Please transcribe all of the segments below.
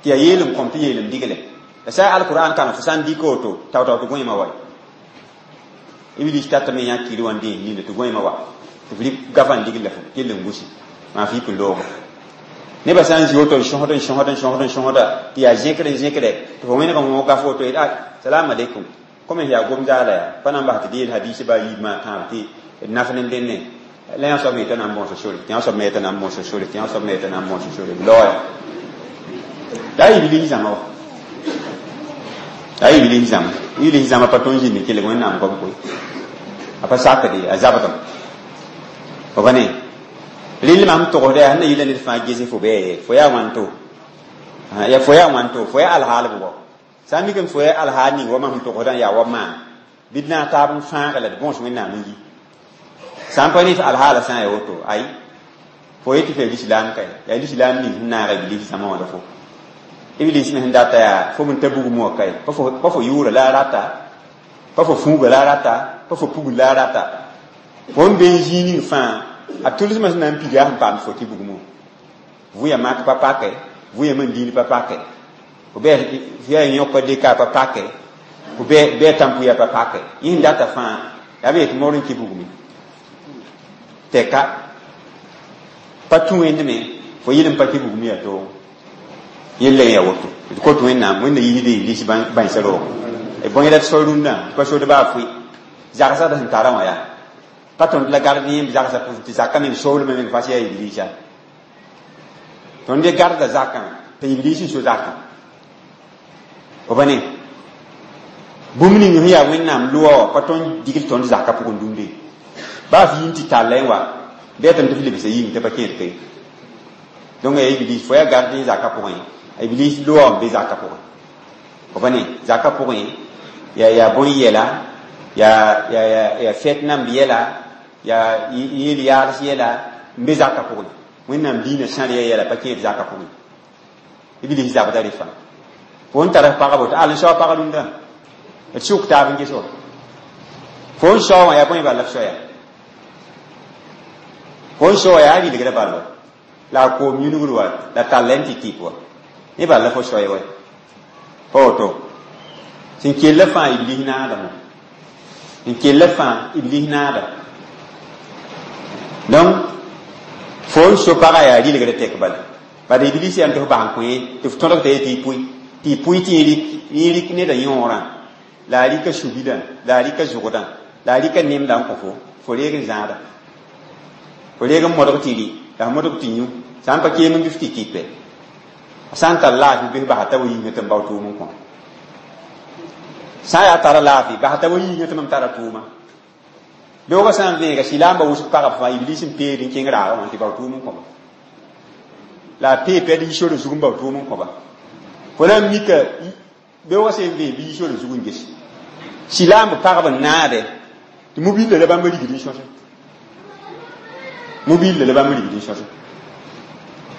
Tɩ yaa yeel n kõm tɩ yeel n digle. La sã alquran kãna fo sã n dɩka woto tao-tao tɩ gõeemã wa. Iblis tatame yã kiri wã n dẽes ninda tɩ gõeemã wa. Tɩ f rɩk gafa n digl la fo kell n gusi. Maa f yik n loogo. Nebã sã n zĩ woto n sõsd n sõsd n sõsd n sõsda tɩ yaa zẽkr n zẽkre tɩ fo wẽneg n wõ gaf woto yet a salam aleikum comme yaa gom zaala yaa pa na n bas tɩ d yeel hadis ba yiib maa tãab tɩ d naf ne dẽnne la yã soab me yeta na n bõos sore tɩ yã soab me yeta na n bõos sore tɩ yã soab me yeta na n bõos sore b laoya la iblis zãma wa la iblis zãma iblis zãma pa tõnd zĩnd kelg wẽnnaam goam koe a pa sakde a zabdem fo pa ne rɩl mam togsda yaa sẽn na yɩla ned fãa gese fo bɛɛ fo yaa wãnto ya fo yaa wãnto fo yaa alhaal bʋgɔ sã n mik n fo yaa alhaal ning wa mam sẽn togsdã yaa wa maan bɩ d na n taab n fãaga la d bõos wẽnnaam n yi sã n pa ne f alhaala sã n yaa woto ay fo yetɩ f yaa lislaam kae yaa lislaam ning sẽn naaga iblis zãma wã la fo iblis me sẽn data yaa fo n ta bugum wã kae pa fo yʋʋra la a rata pa fo fũuga la a rata pa fo pugl la a rata fo n be n zĩig ning fãa a tʋlsmã sẽn na n piga sẽn paam fo tɩ bugum wã vʋya mak pa pake vʋya man dĩin pa pake fo bɩ f yaa yõka dɩka pa pake fo bɩ a tãmpʋya pa pake yẽ sẽn data fãa yaa b yetɩ maoor n kɩ bugme tɛka pa tũ wẽndme fo yɩl n pa kɩ bugum yaa toogo yella yaa woto d kot wẽnnaam wẽnna yiisde iblis bãensa roog bõe la d so rũndã tɩ pa sod baa fʋɩ zagsd sẽn tara wã yaa pa tõnd la gard yẽmb zagsa tɩ zakã meng soolmã meng fas yaa iblisa tõnd ye garda zakã tɩ iblis n so zakã fo pa ne bũmb ning sẽn yaa wẽnnaam loa wã pa tõnd digl tõnd zakã pʋgẽ dũnde baa f yĩn tɩ talla wa bɩ tɩ f lebsa yĩng t'a pa kẽed ke donc yaa iblis fo yaa gard yẽ zakã pʋgẽ iblis loa n be zakã pʋgẽ fo pa ne zakã pʋgẽ yaa yaa bõe yɛla yaa yaa yaa fɛt namb yɛla yaa yeel yaals yɛla n be zakã pʋgẽ wẽnnaam diinã sãr ya yɛla pa kẽed zakã pʋgẽ iblis zabda rɩ fãa fo n tara pagbo tɩ al n sao pag rũndã d sʋk taab n ges wa fo n sao wã yaa bõe bala f soaya fo n sao wã yaa rɩlgrã bal wa la a koom yũnugr wa la talla n tɩ tɩp wa ne bala fo soay wa pa woto sẽn kella fãa iblis naadame n kella fãa iblis naada donc fo n so pagã yaa rɩlgrã tɛk bala bad iblis yaa tɩ f bas n kõ tɩ f tõdg t'a ye tɩ y pʋɩ tɩ y pʋɩ tɩ yẽ rɩk neda yõorã la a rɩka subilã la a rɩka zʋgdã la a rɩka nemdã n kõ fo fo reeg n zãada fo reeg n modg tɩ rɩ la f modg tɩ yũ sã n pa keem n bɩ f tɩ tɩpɛ a sã n tar laafɩ bɩ f basa t'a wa yĩngã tɩ n bao tʋʋm n kõ sã n yaa tara laafɩ basa t'a wa yĩngã tɩ mam tara tʋʋma beoogã sã n vẽega silaamba wʋsg pagb fãa iblis n peed n kẽng raagã wã tɩ bao tʋʋm n kõba la a pee pɛd yi sore zug n bao tʋʋm n kõba fo na n mika beoogã sẽn vẽeg bɩ yi sore zug n ges silaamb pagb n naade tɩ mobilla la bãmb rigd n sõse mobilla la bãmb rigd n sõse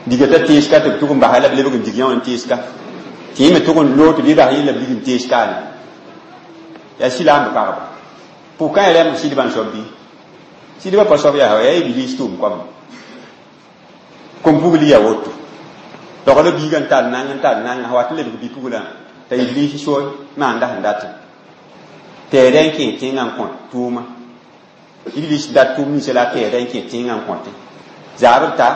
diga t'a teeska tɩ b tʋg n basa la b lebg n dig yã wã n teeska tɩ yẽ me tʋg n loog tɩ bɩ bas yẽ la b rig n teeskaane yaa silaamb pagba pʋkã ya rɛmb sɩdbã n soab bɩ sɩdbã pa soab yaa yaa iblis tʋʋm koam kom-pugl yaa woto togla biigã n tar nang n tar nang wat n lebg bi-puglã t'a iblis soe maanda sẽn datẽ tɛɛdã n kẽ tẽngã n kõ tʋʋma iblis dat tʋʋm ninsã la a tɛɛdã n kẽ tẽngã n kõte zaabr ta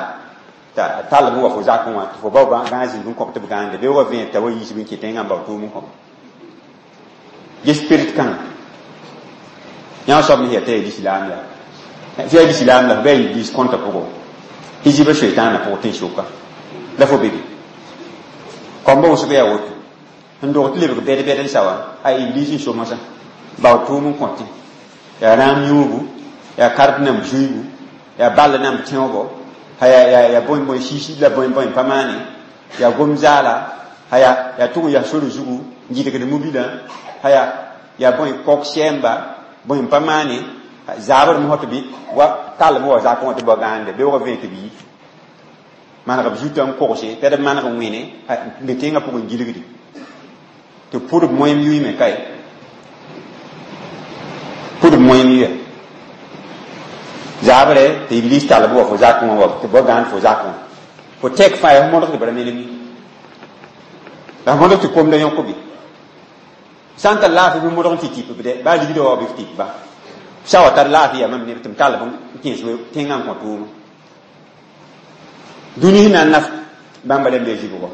t'a tall b wa fo zakẽ wã tɩ fo bao gãag zĩig n kõb tɩ b gãande beoogã vẽed t'a wa yiisb n kẽ tẽngã n bao tʋʋm n kõba ges spirit kãnga yã soab ne yaa t'a yaa lislaam la f yaa lislaam la f bɩ a iblis kõnta pʋgɔ tɩ zibã soetãanã pʋgẽ tẽn-soka la fo bebe kõmba wʋsg yaa woto sẽn dog tɩ lebg bɛd-bɛd n sa wa a iblis n so mosã bao tʋʋm n kõtẽ yaa rãam yũubu yaa kard namb zuiibu yaa ball namb tẽoobo yaa yaa bõe bõe siisi la bõe bõe pa maane yaa gom zaala yaa yaa tʋg n yaa sore zugu n gɩdgd mobilã yaa yaa bõe kok sɛɛmba bõe pa maane zaabr mosã tɩ bɩ wa tallem wa zakẽ wã tɩ ba gãande beoogã vẽe tɩ b yi maneg b zutã n kogse t'a d maneg n wẽne n be tẽngã pʋgẽ gilgdi tɩ pʋd b moeem yʋɩme kae pʋd b moeem yʋa zaabre tɩ iblis tall b wa fo zakẽ wã wa tɩ ba gãand fo zakẽ wã fo tɛk fãa yaa f modgd b ra melem ye La modg tɩ komda yõk bɩ sã n tar laafɩ bɩ modg n tɩ tɩp b dɛ baa ligdã wa bɩ f tɩp ba sa wa tar laafɩ yaa mam neb tɩ m tall b n kẽes tẽngã n kõ tʋʋma dũni sẽn na n naf bãmba rẽmb yaa zibgɔ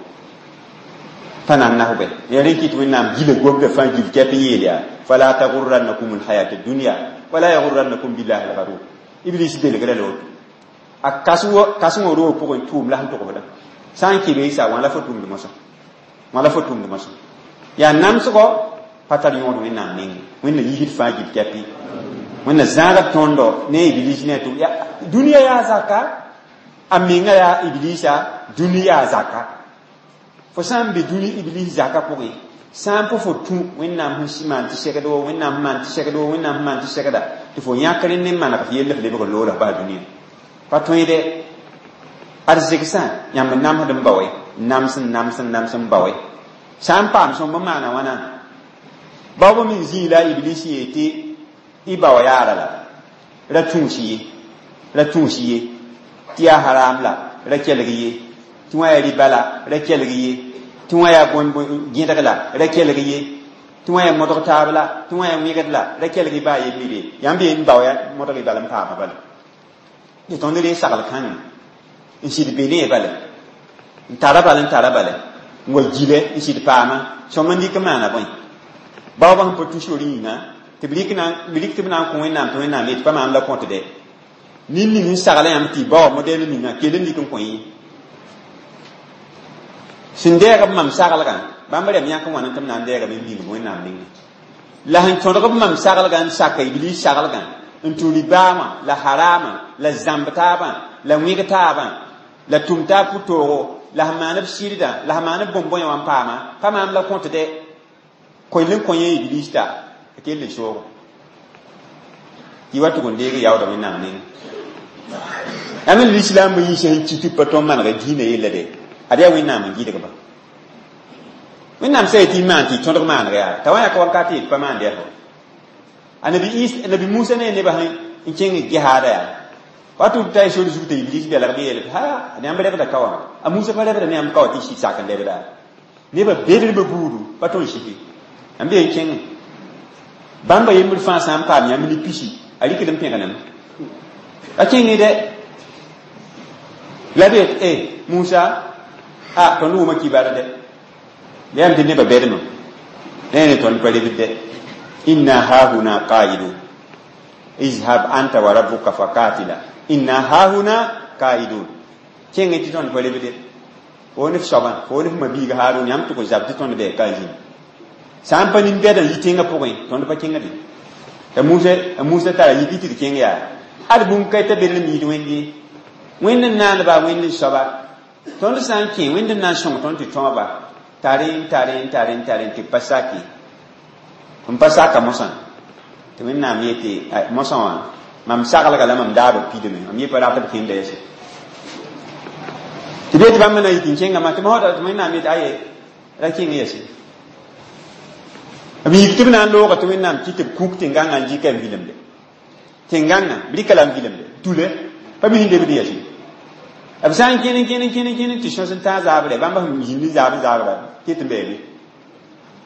pa na n naf bɛ yaa rẽ kɩt wẽnnaam gila gomdã fãa gil kɛp n yeel yaa fala tagurrannakum lhayat dunya wala yagurrannakum billahi lgarur iblis belgra la woto a kasengã roog pʋgẽ tʋʋm la sẽn togsdã sã n kɩ sa wã la fo tʋmd mosã wã la fo tʋmd mosã yaa namsgɔ pa tar yõod wẽnnaam nengẽ wẽnna yiisd fãa gil kɛpɩ wẽnna zãagd tõndo ne iblis ne tʋ dũniyã yaa zaka a menga yaa iblisa dũni yaa zaka fo sã n be dũni iblis zaka pʋgẽ sã n pa fo tũ wẽnnaam sẽn maan tɩ segd wo wẽnnaam sẽn maan tɩ segd wo wẽnnaam sẽn maan tɩ segda tɩ fo yãkr ne maneg f yell f lebg n loola f bas dũniyã pa tõede arzegsã yãmb n namsd n bao nams n nams n nams n bao sã n paam sõmb n maana wãna baob meng zĩig la iblis yee tɩ y bao yaara la ra tũus ye ra tũus ye tɩ yaa haram la ra kelg ye tɩ wã yaa riba la ra kelg ye tɩ wã yaa gẽdg la ra kelg ye tɩ wã yaa modg taab la tɩ wã yaa wẽgd la ra kelg y baa yembre yãmb yen bao ya modg y bal n paama bala tɩ tõnd ree sagl kãngã n sɩd be ne bale n tara bala n tara bale n wa gile n sɩd paama sõm n dɩk n maana bõe baoobã sẽn pa tũ sor yĩnga tɩ b rɩk tɩ b na n kõ wẽnnaam tɩ wẽnnaam yetɩ pa maam la kõt dɛ nin ning n sagla yãmb tɩ y baoa modɛl ninga kell n dɩk n kõ yẽ sẽn dɛɛg b mam saglgã bãmb rɛm yãk n wãna tɩ b na n dɛɛgame n ming wẽnnaam nengẽ la sẽn tõdg b mam saglgã n saka iblis saglgã n tũ ribaamã la harama la zãmb taabã la wẽg taabã la tʋm taab pʋ-toogo la sẽn maan b sɩrdã la sẽn maan b bõn-bõe wã n paama pa maam la kõt dɛ koel n kõ yẽ iblis ta a kell n soogo tɩ wa tʋg n deeg yaoodã wẽnnaam nengẽ yãmb n lislaambã yĩns sẽn kɩ tɩ pa tõnd manega dĩinã yella dɛ ad yaa wẽnnaam n gɩdgba wẽnnaam sã yetɩ y maan tɩ y tõdg maaneg yaa t'a wa yãk wakat yet pa maand yaa a nabi musa ne nebã sẽn kẽng gehaada yaa wa tɩ ta y sor zug t'a iblis belgme yeel tɩ ha yãmb rebda ka wã a musa pa rebda ne yãmb ka wa tɩ y sɩd sak n lebda nebã bedrba buudu pa tõnd siki yãmb n kẽngẽ bãmba yembr fãa sã n paam yãmb ne pisi a rɩkd n pẽgename a kẽngẽ dɛ la be e musa a tõnd wʋma kibar dɛ la yam tɩ nebã bɛdmã la ne tõnd pa rebd dɛ inna hahuna qaidun izhab anta wa rabbuka faqatila inna hahuna qaidun kẽngẽ tɩ tõnd pa rebd fo ne f soabã fo ne f mabiiga Harun yãmb tɩ kõ zab tɩ tõnd bɩ ka zĩnd sã n pa nin-bɛdã yi tẽngã pʋgẽ tõnd pa kẽngde t'a Musa tara yik tɩ d kẽng yaa ad bũmb ka t'a bel n miid wẽnd ye wẽnd n naanba wẽnd n soaba tõnd sã n kẽ wẽnd n na n sõng tõnd tɩ tõoba tare n tare n tare n tare tɩ b pa sake n pa saka mosã tɩ wẽnnaam yetɩ mosã wã mam saglga la mam daab b pidme mam ye pa rat b kẽnda yɛse tɩ bee tɩ bãmb na yik n kẽngame tɩ moda tɩ wẽnnaam yetɩ aye ra kẽng yɛse b yik tɩ b na n looga tɩ wẽnnaam kɩ tɩ b kuk tẽn-gãngã n dɩka n vilemde tẽn-gãngã b rɩka la n vilemde tule pa mi sẽn lebd yɛse b sã n kẽn kẽn kẽn kẽn tɩ sõs n tãag zaabrɛ bãmba sẽn zĩnd n zaab n zaabra ket n bɛɛbe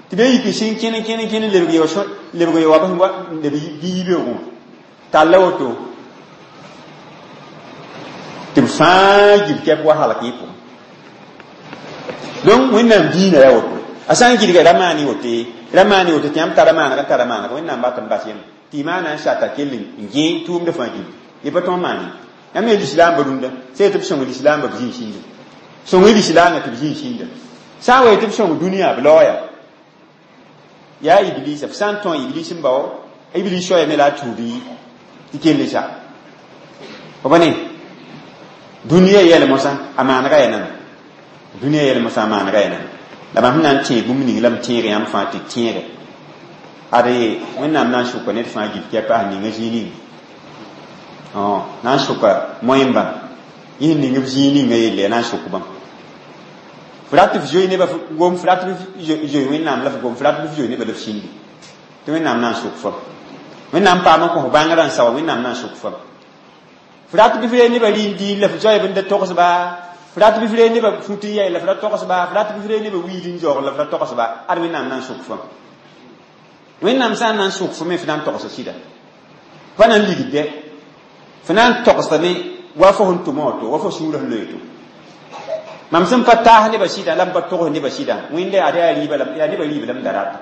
tɩ be yik sẽn kẽn kẽn kẽn lebg ye wa leb bɩ yibeoogẽ talla woto tɩ b fãa gil kɛp wa halk yɩ pʋgẽ donc wẽnnaam diinã yaa woto a sã n gɩdga ra maan wote ra maan woto tɩ yãmb tara maaneg n tara maaneg wẽnnaam bat n bas yem tɩ y maana n sata kell n gẽ tʋʋmdã fãa gil ye pa tõog maan ye yãmb yaa lislaambã rũndã sã tɩ b sõng lislaambã b zĩig sĩnda sõng y lislaangã tɩ b zĩig sĩnda sã n wa tɩ b sõng dũniyã b laooya yaa iblisa f sã n tõe iblis n bao iblis soayame la a tuud tɩ kell sa b ne dũniyã yɛl mosã a maanega yaa nana dũniyã yɛl mosã a maanega yaa nana la mam sẽn na n tẽeg bũmb ning la m tẽeg yãmb fãa tɩ tẽege ad wẽnnaam na n sʋka ned fãa gil kɛpa sẽn ninga zĩig ninga na n sʋka moẽmbã yẽ sẽn ning b zĩig ninga yelle na n sʋk bãmb f rat f zoe nebã gom f rat f zoe wẽnnaam la f gom f rat f zoe nebã la f sĩndi tɩ wẽnnaam na n sʋk fam wẽnnaam paam n kõ f bãngrã n sawa wẽnnaam na n sʋk fam f rat bɩ f ree nebã rɩ n dĩin la f zoeeb n da togsba F rat bɩ f reeg nebã fut n yɛl la f ra togsba, f rat bɩ f reeg nebã wiid n zaoog la f ra togsba, ad Wẽnnaam na n sʋk fãa. Wẽnnaam sã n na n sʋk fo me f na n togsa sɩda. Pa na n ligd dɛ. F na n togsdame wa fo sẽn tʋma woto, wa fo sũurã sẽn loe to. Mam sẽn pa taas nebã sɩdã la m pa togs nebã sɩdã, Wẽnda yaa yaa rɩɩbã la yaa nebã rɩɩb la m da rata.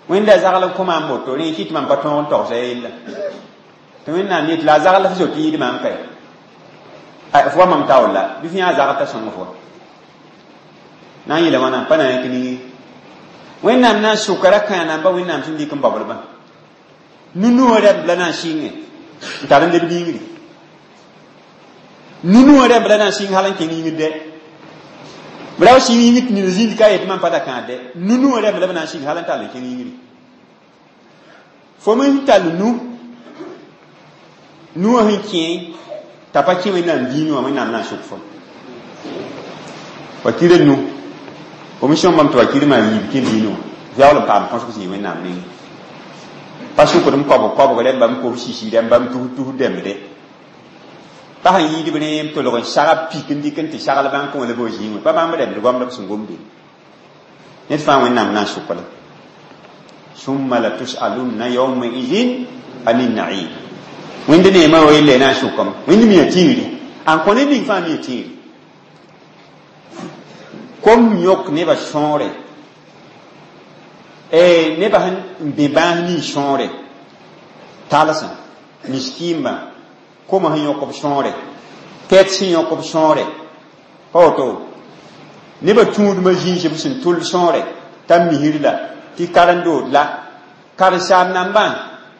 Wẽnda zagl n kõ maam woto, rẽ kɩ tɩ mam pa tõog n togsa yella. Tɩ Wẽnnaam yet la a zagl f zoet n yɩɩd maam kae. F wa mam taoor la, bɩ f yã a zagl t'a sõng fo. Na n yeela wãna, pa na yãk ningi. Wẽnnaam na n sʋka ra-kãa namba Wẽnnaam sẽn dɩk n baoodbã. Nu-nuwã rɛmb la na n sɩnge n tar n leb yĩngri. Nu-nuwã rɛmb la na n sɩng hal n kẽng yĩngr dɛ. B ra wa sɩng yĩngr tɩ nina zĩnd ka yet mam pa da kãad dɛ. Nu-nuwã rɛmb la b na n sɩng hal n tall n kẽng yĩngri. Fo me sẽn tall nu, nuwã sẽn kẽ t'a pa kẽ Wẽnnaam dĩinẽ wã, Wẽnnaam na n sʋk fo. Wakirã nu, fo me sõmbame tɩ wakir maa yiib kẽ dĩinẽ wã, yaool n paam kõsg zĩig Wẽnnaam nengẽ. Pa sʋkd m koabg koabg rẽmba, m kob sisi rẽmba, m tus tus dẽmbde. Pa sẽn yɩɩd b rẽ n tolg n sag pik n dɩk n tɩ sagl bãnk wã la b wa zĩig wã. Pa bãmb rẽmd goamd b sẽn gomde. Ned fãa Wẽnnaam na n sʋk la. Summa la tusalunna yawma idhin anin na'im. Wẽnd neemã wa yelle na n sʋkame. Wẽnd mi a tĩigri. An kõ ned ning fãa mi a tĩigri. Kom yõk nebã sõore. Nebã sẽn n bẽ bãas nins sõore. Talsã, miskiimã, koma sẽn yõk b sõore, kɛt sẽn yõk b sõore. Pa woto, nebã tũudmã zĩis b sẽn tʋl sõore, t'a misr la, tɩ karen-dood la, karen-saam nambã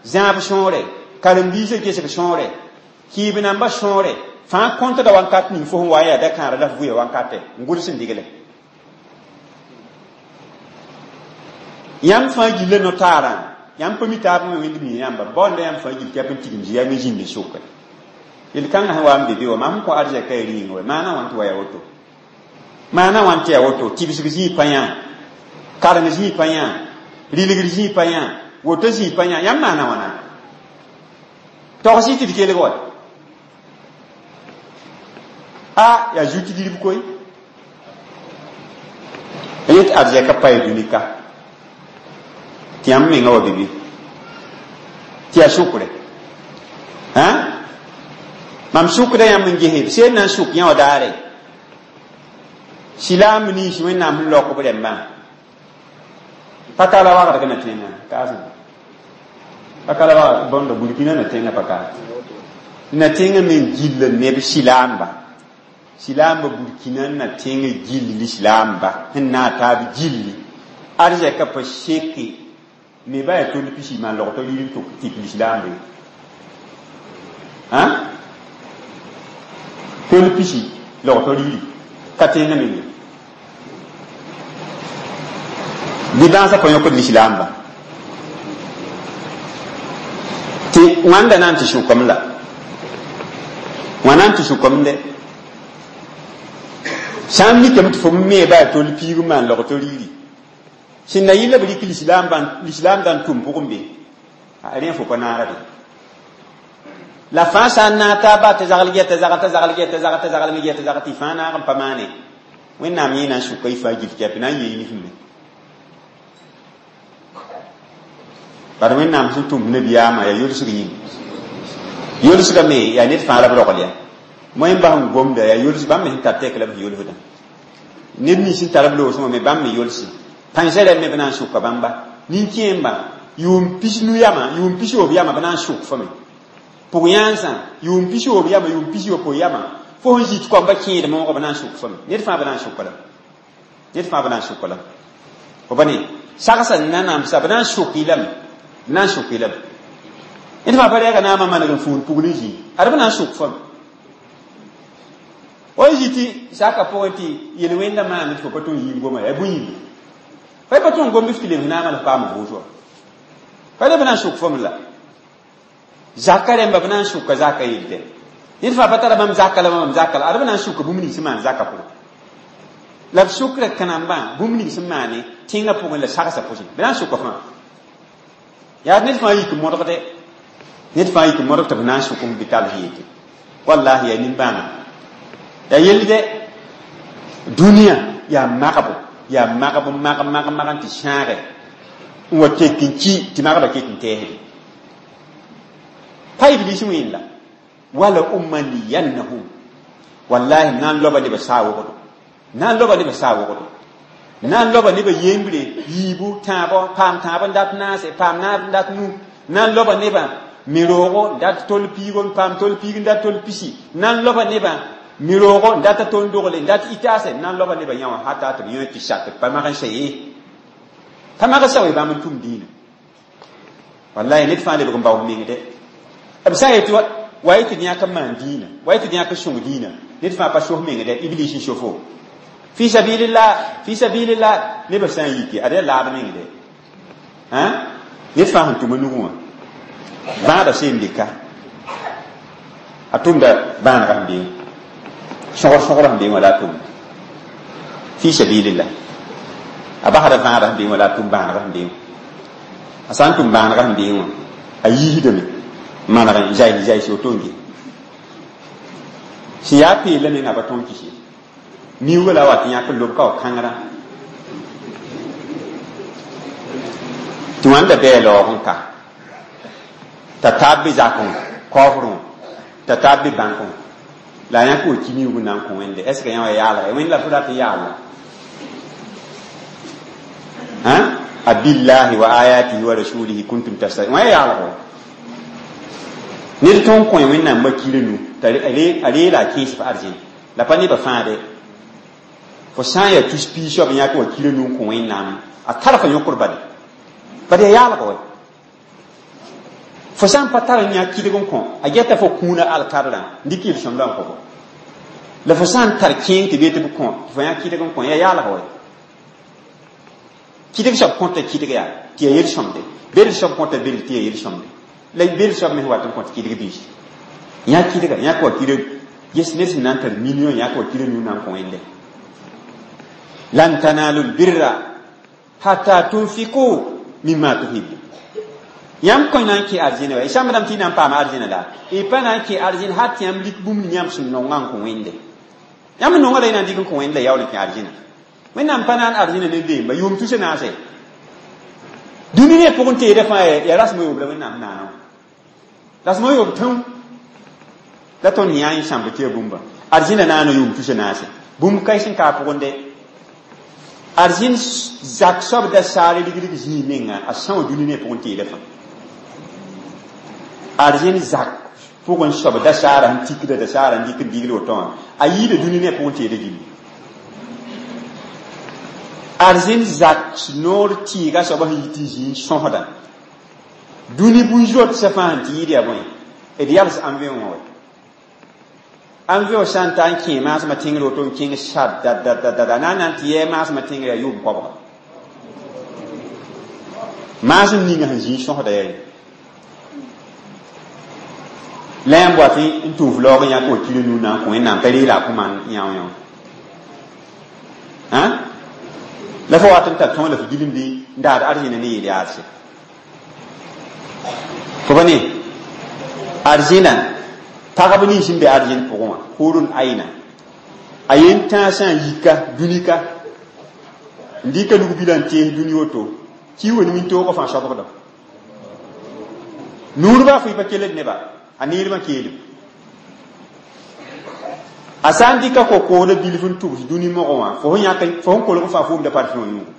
zãab sõore, karen-biisã gesg sõore, kɩɩb nambã sõore, fãa kõntda wãnkat ning fo sẽn wa n yaa da-kãara la f vʋya wãnkatɛ, n gʋls n digle. Yãmb fãa gilla no-taarã, yãmb pa mi taab me wẽnd mi yãmba, baoonda yãmb fãa gil tɩ yaa n tigim zĩ yaa me zĩnd n sʋke. Yel-kãngã sẽn wa n be be wã, mam sẽn kõ arzɛka ya rĩinga wɛ, maana wãn tɩ wa yaa woto? Maana wãn tɩ yaa woto? Tɩbsg zĩig pa yã, kareng zĩig pa yã, rɩlgr zĩig pa yã, woto zĩig pa yã, yãmb maana wãna? Togs-y tɩ d kelg wa. A yaa zu-tigrb koe. Yet arzɛka pa ya dũni ka. Tɩ yãmb menga wa be be. Tɩ yaa sʋkre. Mam sʋkda yãmb n gese, b seen na n sʋk yã wã daare. Silaam nins Wẽnnaam sẽn laok b rẽmbã. Paka la wagdg na tẽngã, kaasẽ. Paka la wagd bõnda Burkina na tẽngã paka. Na tẽngã me n gill neb silaamba. Silaamba Burkina na tẽngã gilli lislaamba sẽn na n taab gilli. Arzɛka pa seke me ba yaa tol pisi maan logtɔ rɩɩr n tʋk tɩk lislaamba ye. Tol pisi logtɔ rɩɩri ka tẽngã meng. Bɩ bãasã pa yõkd lislaamba. Tɩ wãnda na n tɩ sʋkame la. Wãna n tɩ sʋkame dɛ. Sã n mikame tɩ fo me ba yaa tol piig n maan logtɔ rɩɩri. Sẽn na yɩ la b rɩk lislaam dã n tʋm pʋgẽ be. Rẽ fo pa naara be. La fãa sã n naag taaba t'a zagl gɛ t'a zagl t'a zagl gɛ t'a zagl t'a zagl me gɛ t'a zagl tɩ fãa naag n pa maane. Wẽnnaam yẽ na n sʋka y fãa gil tɩ yaa na n yee nif me. Bad Wẽnnaam sẽn tʋm nabiyaamã yaa yolsg yĩnga. Yolsga me yaa ned fãa la b rogl ya. Moẽ bas n gomda yaa yols bãmb me sẽn tar tɛk la b yolsdã. Ned nins sẽn tar b loosẽ wã me bãmb me yolse. Pãensã rɛm me b na n sʋka bãmba. Nin-kẽembã, yʋʋm pis-nu yamã, yʋʋm pis-yoob yamã b na n sʋk fo me. Pʋg-yãansã, yʋʋm pis-yoob yamã, yʋʋm pis-yopoe yamã, fo sẽn zĩ tɩ koamba kẽed moogã b na n sʋk fo me. Ned fãa b na n sʋka la. Ned fãa b na n sʋka la. Fo pa ne, sagsa n na namsa, b na n sʋk-y lame. B na n sʋk-y lame. Ned fãa pa rɛɛga naamã maneg n fũud pugl n zĩ. Ad b na n sʋk fo me. O n zĩ tɩ saka pʋgẽ tɩ yel-wẽndã maame tɩ fo pa tõe n yĩng goma yaa bũn-yĩnga. Pa pa tõe n gom bɩ f tɩ lebs naamã la f paam vʋʋs wã. Pa le b na n sʋk fo me la. Zaka rẽmba b na n sʋka zaka yel tɛ. Ned fãa pa tara bãmb zaka la bãmb zaka la, ad b na n sʋka bũmb nins sẽn maan zaka pʋgẽ. La b sʋkra kãnambã bũmb ning sẽn maane tẽngã pʋgẽ la sagsa pʋsẽ. B na n sʋka fãa. Yaa ned fãa yik n modgde. Ned fãa yik n modg tɩ b na n sʋk f bɩ tall sẽn yetɩ. Wallahi yaa nimbãanega. Ya yell dɛ dũniyã yaa magbo yaa magb mag mag mag n tɩ sãage n wa tek n ki tɩ magbã ket n tɛɛsde pa iblis wẽen la wala umanniyannahum wallahi na n loba nebã saa wogdo na n loba nebã saa wogdo na n loba nebã yembre yiibu tãabo paam tãab n dat naase paam naab n dat nu na n loba nebã mi-roogo n dat tol piigo n paam tol piig n dat tol pisi na n loba nebã mi-roogo n dat tol dogle n dat itaase na n loba nebã yã wã hata tɩ b yõ tɩ sak tɩ pa mag n sa ye pa mag n sa we bãmb n tʋm dĩinã wallahi ned fãa lebg n bao meng dɛ b sã n yetɩ wa y tɩ d yãk n maan dĩinã wa y tɩ d yãk n sõng dĩinã ned fãa pa sos meng dɛ iblis n sofo fi sabilillah fi sabilillah nebã sã n yike ad yaa laad meng dɛ ned fãa sẽn tʋm a nugẽ wã bãadã seen dɩka a tʋmda bãanegã sẽn beẽ sõgr sõgrã sẽn beẽ wã la a tʋmda fi sabilillah a basda vãadã sẽn beẽ wã la a tʋm bãanegã sẽn beẽ wã a sã n tʋm bãanegã sẽn beẽ wã a yiisdame maneg n zay zay woto n ge sẽn yaa peelã menga pa tõnd kis ye miuugã la a wat yãk n lob ka wa kãngrã tɩ wãnda bɩ a laoog n ka t'a taab be zakẽ kaoofrẽ wã t'a taab be bãnkẽ wã la a yãk wa ki miuug n na n kõ wẽnde est ce que yã wa yaalga wẽnd la fo rat n yaalla abillahi wa ayatihi wa rasulihi kuntum tastahzi'un wã ya yaalgo ned tõnd kõ wẽnnaam wakirã nu t'a reela a kẽes f arzẽn la pa nebã fãa de fo sã n yaa tus piig soab n yãk wa kirã nu n kõ wẽnnaam a tar fa yõkr bale bad yaa yaalg wɛ fo sã n pa tar n yã kɩdg n kõ a geta fo kũuna alkadrã n dɩk yel-sõmdã n kõ fo la fo sã n tar kẽeng tɩ bee tɩ b kõ tɩ fo yã kɩdg n kõ yaa yaalg wɛ kɩdg soab kõta kɩdg yaa tɩ yaa yel-sõmde bel soab kõta bel tɩ yaa yel-sõmde la bel soab me wat n kõt kɩdg biis yã kɩdga yãk wa kɩdg yes ned sẽn na n tar million yãk wa kɩdg nu na n kõ wẽnde lan tanalu lbirra hatta tunfiku mimma tuhibbu yãmb kõ na n kẽ arzẽna wa y sãmbdame tɩ y na n paam arzẽna la y pa na n kẽ arzẽn hat tɩ yãmb lik bũmb ni yãmb sẽn nongã n kõ wẽnde yãmb nongã la y na n dɩk n kõ wẽnd la yaool n kẽ arzẽna wẽnnaam pa na n arzẽna ne deemba yʋʋm tusa naase dũni ne pʋgẽ teedã fãa yaa rasem a yoob la wẽnnaam naana wã rasem a yoob tãu la tõnd yã n sãmb tɩ yaa bũmba arzẽna naana yʋʋm tusa naase bũmb kaɩs n ka a pʋgẽ dɛ arzẽn zak soab da saar rigrig zĩig menga a são dũni ne pʋgẽ teedã fãa arzẽn zak pʋgẽ soab da saara sẽn tikda da saara n dɩk n digl woto wã a yiida dũni ne pʋgẽ teedã gilli arzẽn zak noor tɩɩga soaba sẽn yi tɩ zĩig n sõsda dũni bũn-zotsã fãa sẽn tɩ yɩɩd yaa bõe d yals ãn-vẽ wã wɛ ãn-vẽ sã n ta n kẽ maasmã tẽngr woto n kẽng sadadadadada na n na n tɩ yɛɛ maasmã tẽngr yaa yʋʋm koabga maasem ninga sẽn zĩig sõsda yaa ye la yãmb wa tɩ n tʋʋf laoog n yãk wa kir nu na n kõ wẽnnaam t'a reela a kõ maan yão yã la fo wat n tar tõog la fo gilmdi n daad arzẽna ne yeel yaadse fo pa ne arzẽna pagb nins n be arzẽn pʋgẽ wã hurun aina a yen tãag sã n yika dũnika n dɩka lug-bilã n tees dũni woto ki wen wĩntoogã fãa soabgda nuurba fo y pa kelld neba a neermã keelem a sã n dɩka ko-koodã bilf n tʋbs dũni mogẽ wã fo sẽn yãk fo sẽn kolg fãa fʋʋmda parfum wã yũugo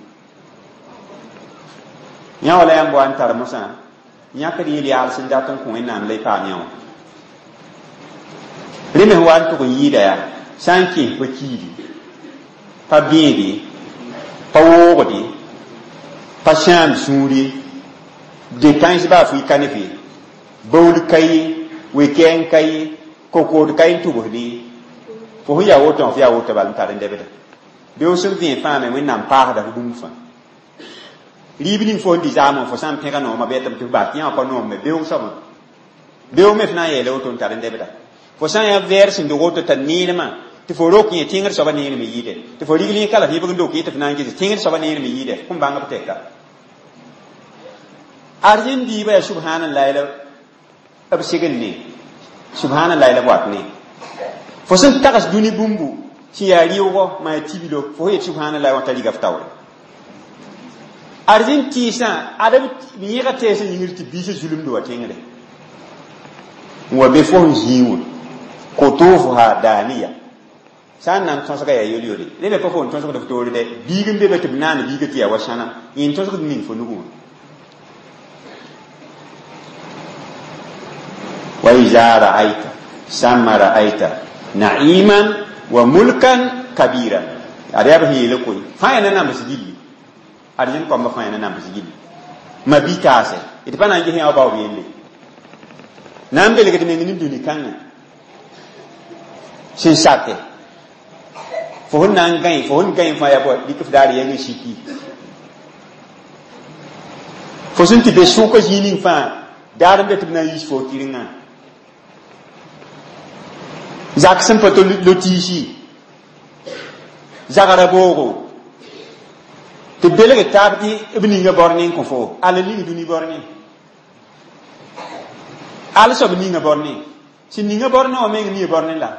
yã wala yãmb wa n tar mosã yãkd yel yaal sẽn dat n kõ wẽnnaam la y paam yã wã rẽ me sẽn wa n tʋg n yɩɩda yaa sã n kẽes pa kiidi pa bẽede pa woogde pa sãam sũur ye depãns baa fo y ka ne fe baool ka ye we-kɛɛng ka ye kokood ka ye n tʋbsde fo sẽn yaa woto wã fo yaa woto bal n tar n dɛbda beoog sẽn vẽe fãa me wẽnnaam paasda fo bũmb fãa rɩɩb ning fo sẽn dɩ zaamẽ fo sã n pẽga noomã bɩ tɩ f bas tɩ yã wã pa noom me beoog soabã beoog me f na n yeela woto n tar n dɛbda fo sã n yaa vɛɛr sẽn dog woto t'a neermã tɩ fo rok yẽ tẽngr soabã neerme yɩɩdɛ tɩ fo rigl yẽ kala f yẽbg n dok yẽ tɩ f na n ges tẽngr soabã neerme yɩɩdɛ kõn bãng b tɛka arzẽn diibã yaa subhanallah la b segl ne subhanallah la b wat ne Fo sẽn tags dũni bũmbu sẽn yaa rɩʋgɔ maa tiblo fo yet subhanallah wã t'a riga f taoore. Arzin tɩɩsã ad b yẽga tɛɛsã yĩngr tɩ biisã zulumd wa tẽngre n wa be fo sẽn zĩig wã kutufuha daniya sã n na n tõsga yaa yol-yole rẽ me pa fo n tõsgd f toore dɛ biig n be be tɩ b naan biigã tɩ yaa wa sãna yẽ n tõsgd ning fo nugẽ wã wa iza ra'ayta samma ra'ayta na'iman wa mulkan kabiran ad yaa b sẽn yeele koe fãa yaa na nambs gilli arzẽn kõmba fãa yaa na nambs gilli ma bi taase d pa na n ges yã wa baoob yelle na n belgd meng ne dũni kãngã sẽn sake fo sẽn na n gãe fo sẽn gãe fãa yaa bɔ dɩk f daar yɛng n siki fo sẽn tɩ be sʋka zĩig ning fãa daar n be tɩ b na n yiis fo kɩrengã zak sẽn pa to lotiisi zagra boogo tɩ belg taab tɩ b ninga bor ne n kõ fo al ning dũni bor ne al soab ninga bor ne sẽn ninga bor ne wã meng nia bor ne la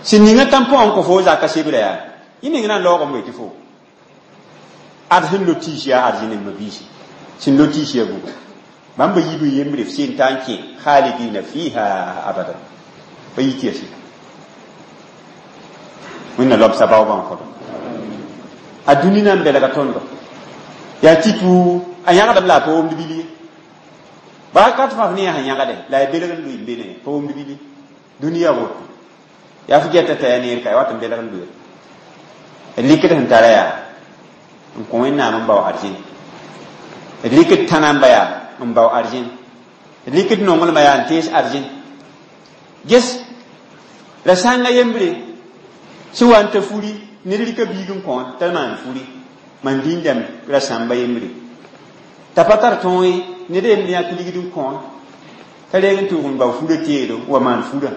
sẽn ninga tãmpõ n kõ fo zaka sebra yaa yẽ meng na n laoogame we tɩ fo ad sẽn lotiis yaa arzẽn n mabiisi sẽn lotiis yaa buga bãmb yiib n yembre f seen t'a n kẽ khalidina fiha abadan pa yi tɩ ya sɩka wẽnna lobsa baoobã n kõdo a dũni na n belga tõndo yaa tɩ a yãgdame la a pa womd bil ye baa kat fãa f ne yaa sẽn yãgde la a belg n lʋɩ n be ne pa womd bil ye dũni yaa woto yaa f gɛta t'a yaa neer ka ya wat n belg n lʋɩ d likd sẽn tara yaa n kõ wẽnnaam n bao arzẽn d likd tãnamba yaa n bao arzẽn d likd nonglmã yaa n tees arzẽn ges la sãnga yembre sẽn wa n ta furi ned rɩka biig n kõ t'a maan furi mam dĩndame ra sãmba yembre t'a pa tar tõog ye ned yemd yãk ligd n kõ t'a reeg n tʋʋg n bao furã teedo wa maan furã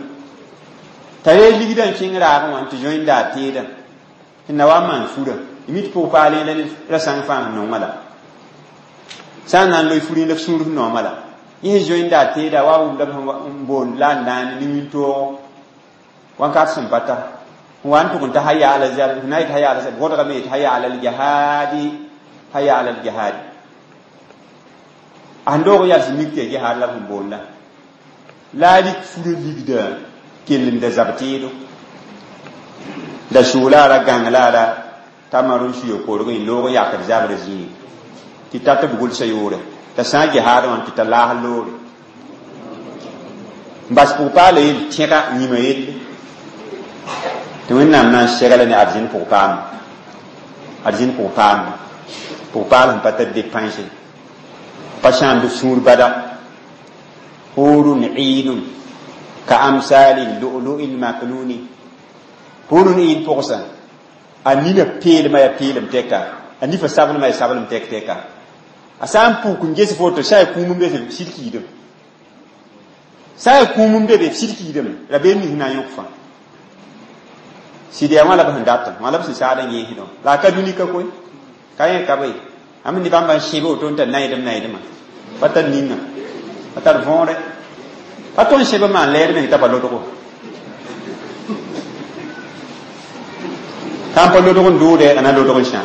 t'a reeg ligdã n kẽng raagẽ wã tɩ zoẽnda a teedã tɩ na wa n maan furã y mi tɩ pʋg paal la ned ra sãng fãa sẽn nongã la sã n na n loe furẽ la f sũur f noomã la yẽ sẽn zoẽnda a teeda wa wʋmda n boond la n naane ne wĩntoog wãnkat sẽn pa ta n wa n tʋg n ta haya ala zab na yet haya ala zab wodgame yet haya ala ljahadi haya ala ljahadi a sẽn doog yals mik tɩ ya jihaad la b sẽn boonda la a rɩk furã ligda kell n da zab teedo da sʋʋla ra gãng la ra t'a mar n suya korg n loog n yakd zabrã zĩig tɩ tat b gʋlsa yoore t'a sã n jihaad wã tɩ t'a laas loore n bas pʋg-paala yel tẽga yĩma yelle tɩ wẽnnaam na n segla ne arzẽn pʋg-paamã arzẽn pʋg-paamã pʋg-paal sẽn pa tar depãnse pa sãamd f sũur bada hurun iinun ka amsali lu'lu'i lmaknuni hurun iin pʋgsã a nina peelmã yaa peelem tɛka a nifa sablmã yaa sablem tɛk tɛka a sã n puk n ges foto sã yaa kũum n be sɩd kiidem sã yaa kũum n be be sɩd kiidame rabeem nins na n yõk fãa sɩd yaa wã la b sẽn datã wã la b sẽn saad n yẽesdõ la a ka dũni ka koe ka yẽ ka be ãmb ne bãmba n sẽbe woto n tar naydem naydmã pa tar ninga pa tar võore pa tõnd sẽb n maan lɛɛd meng t'a pa lodgo sã n pa lodg n dʋʋdɛ a na lodg n sã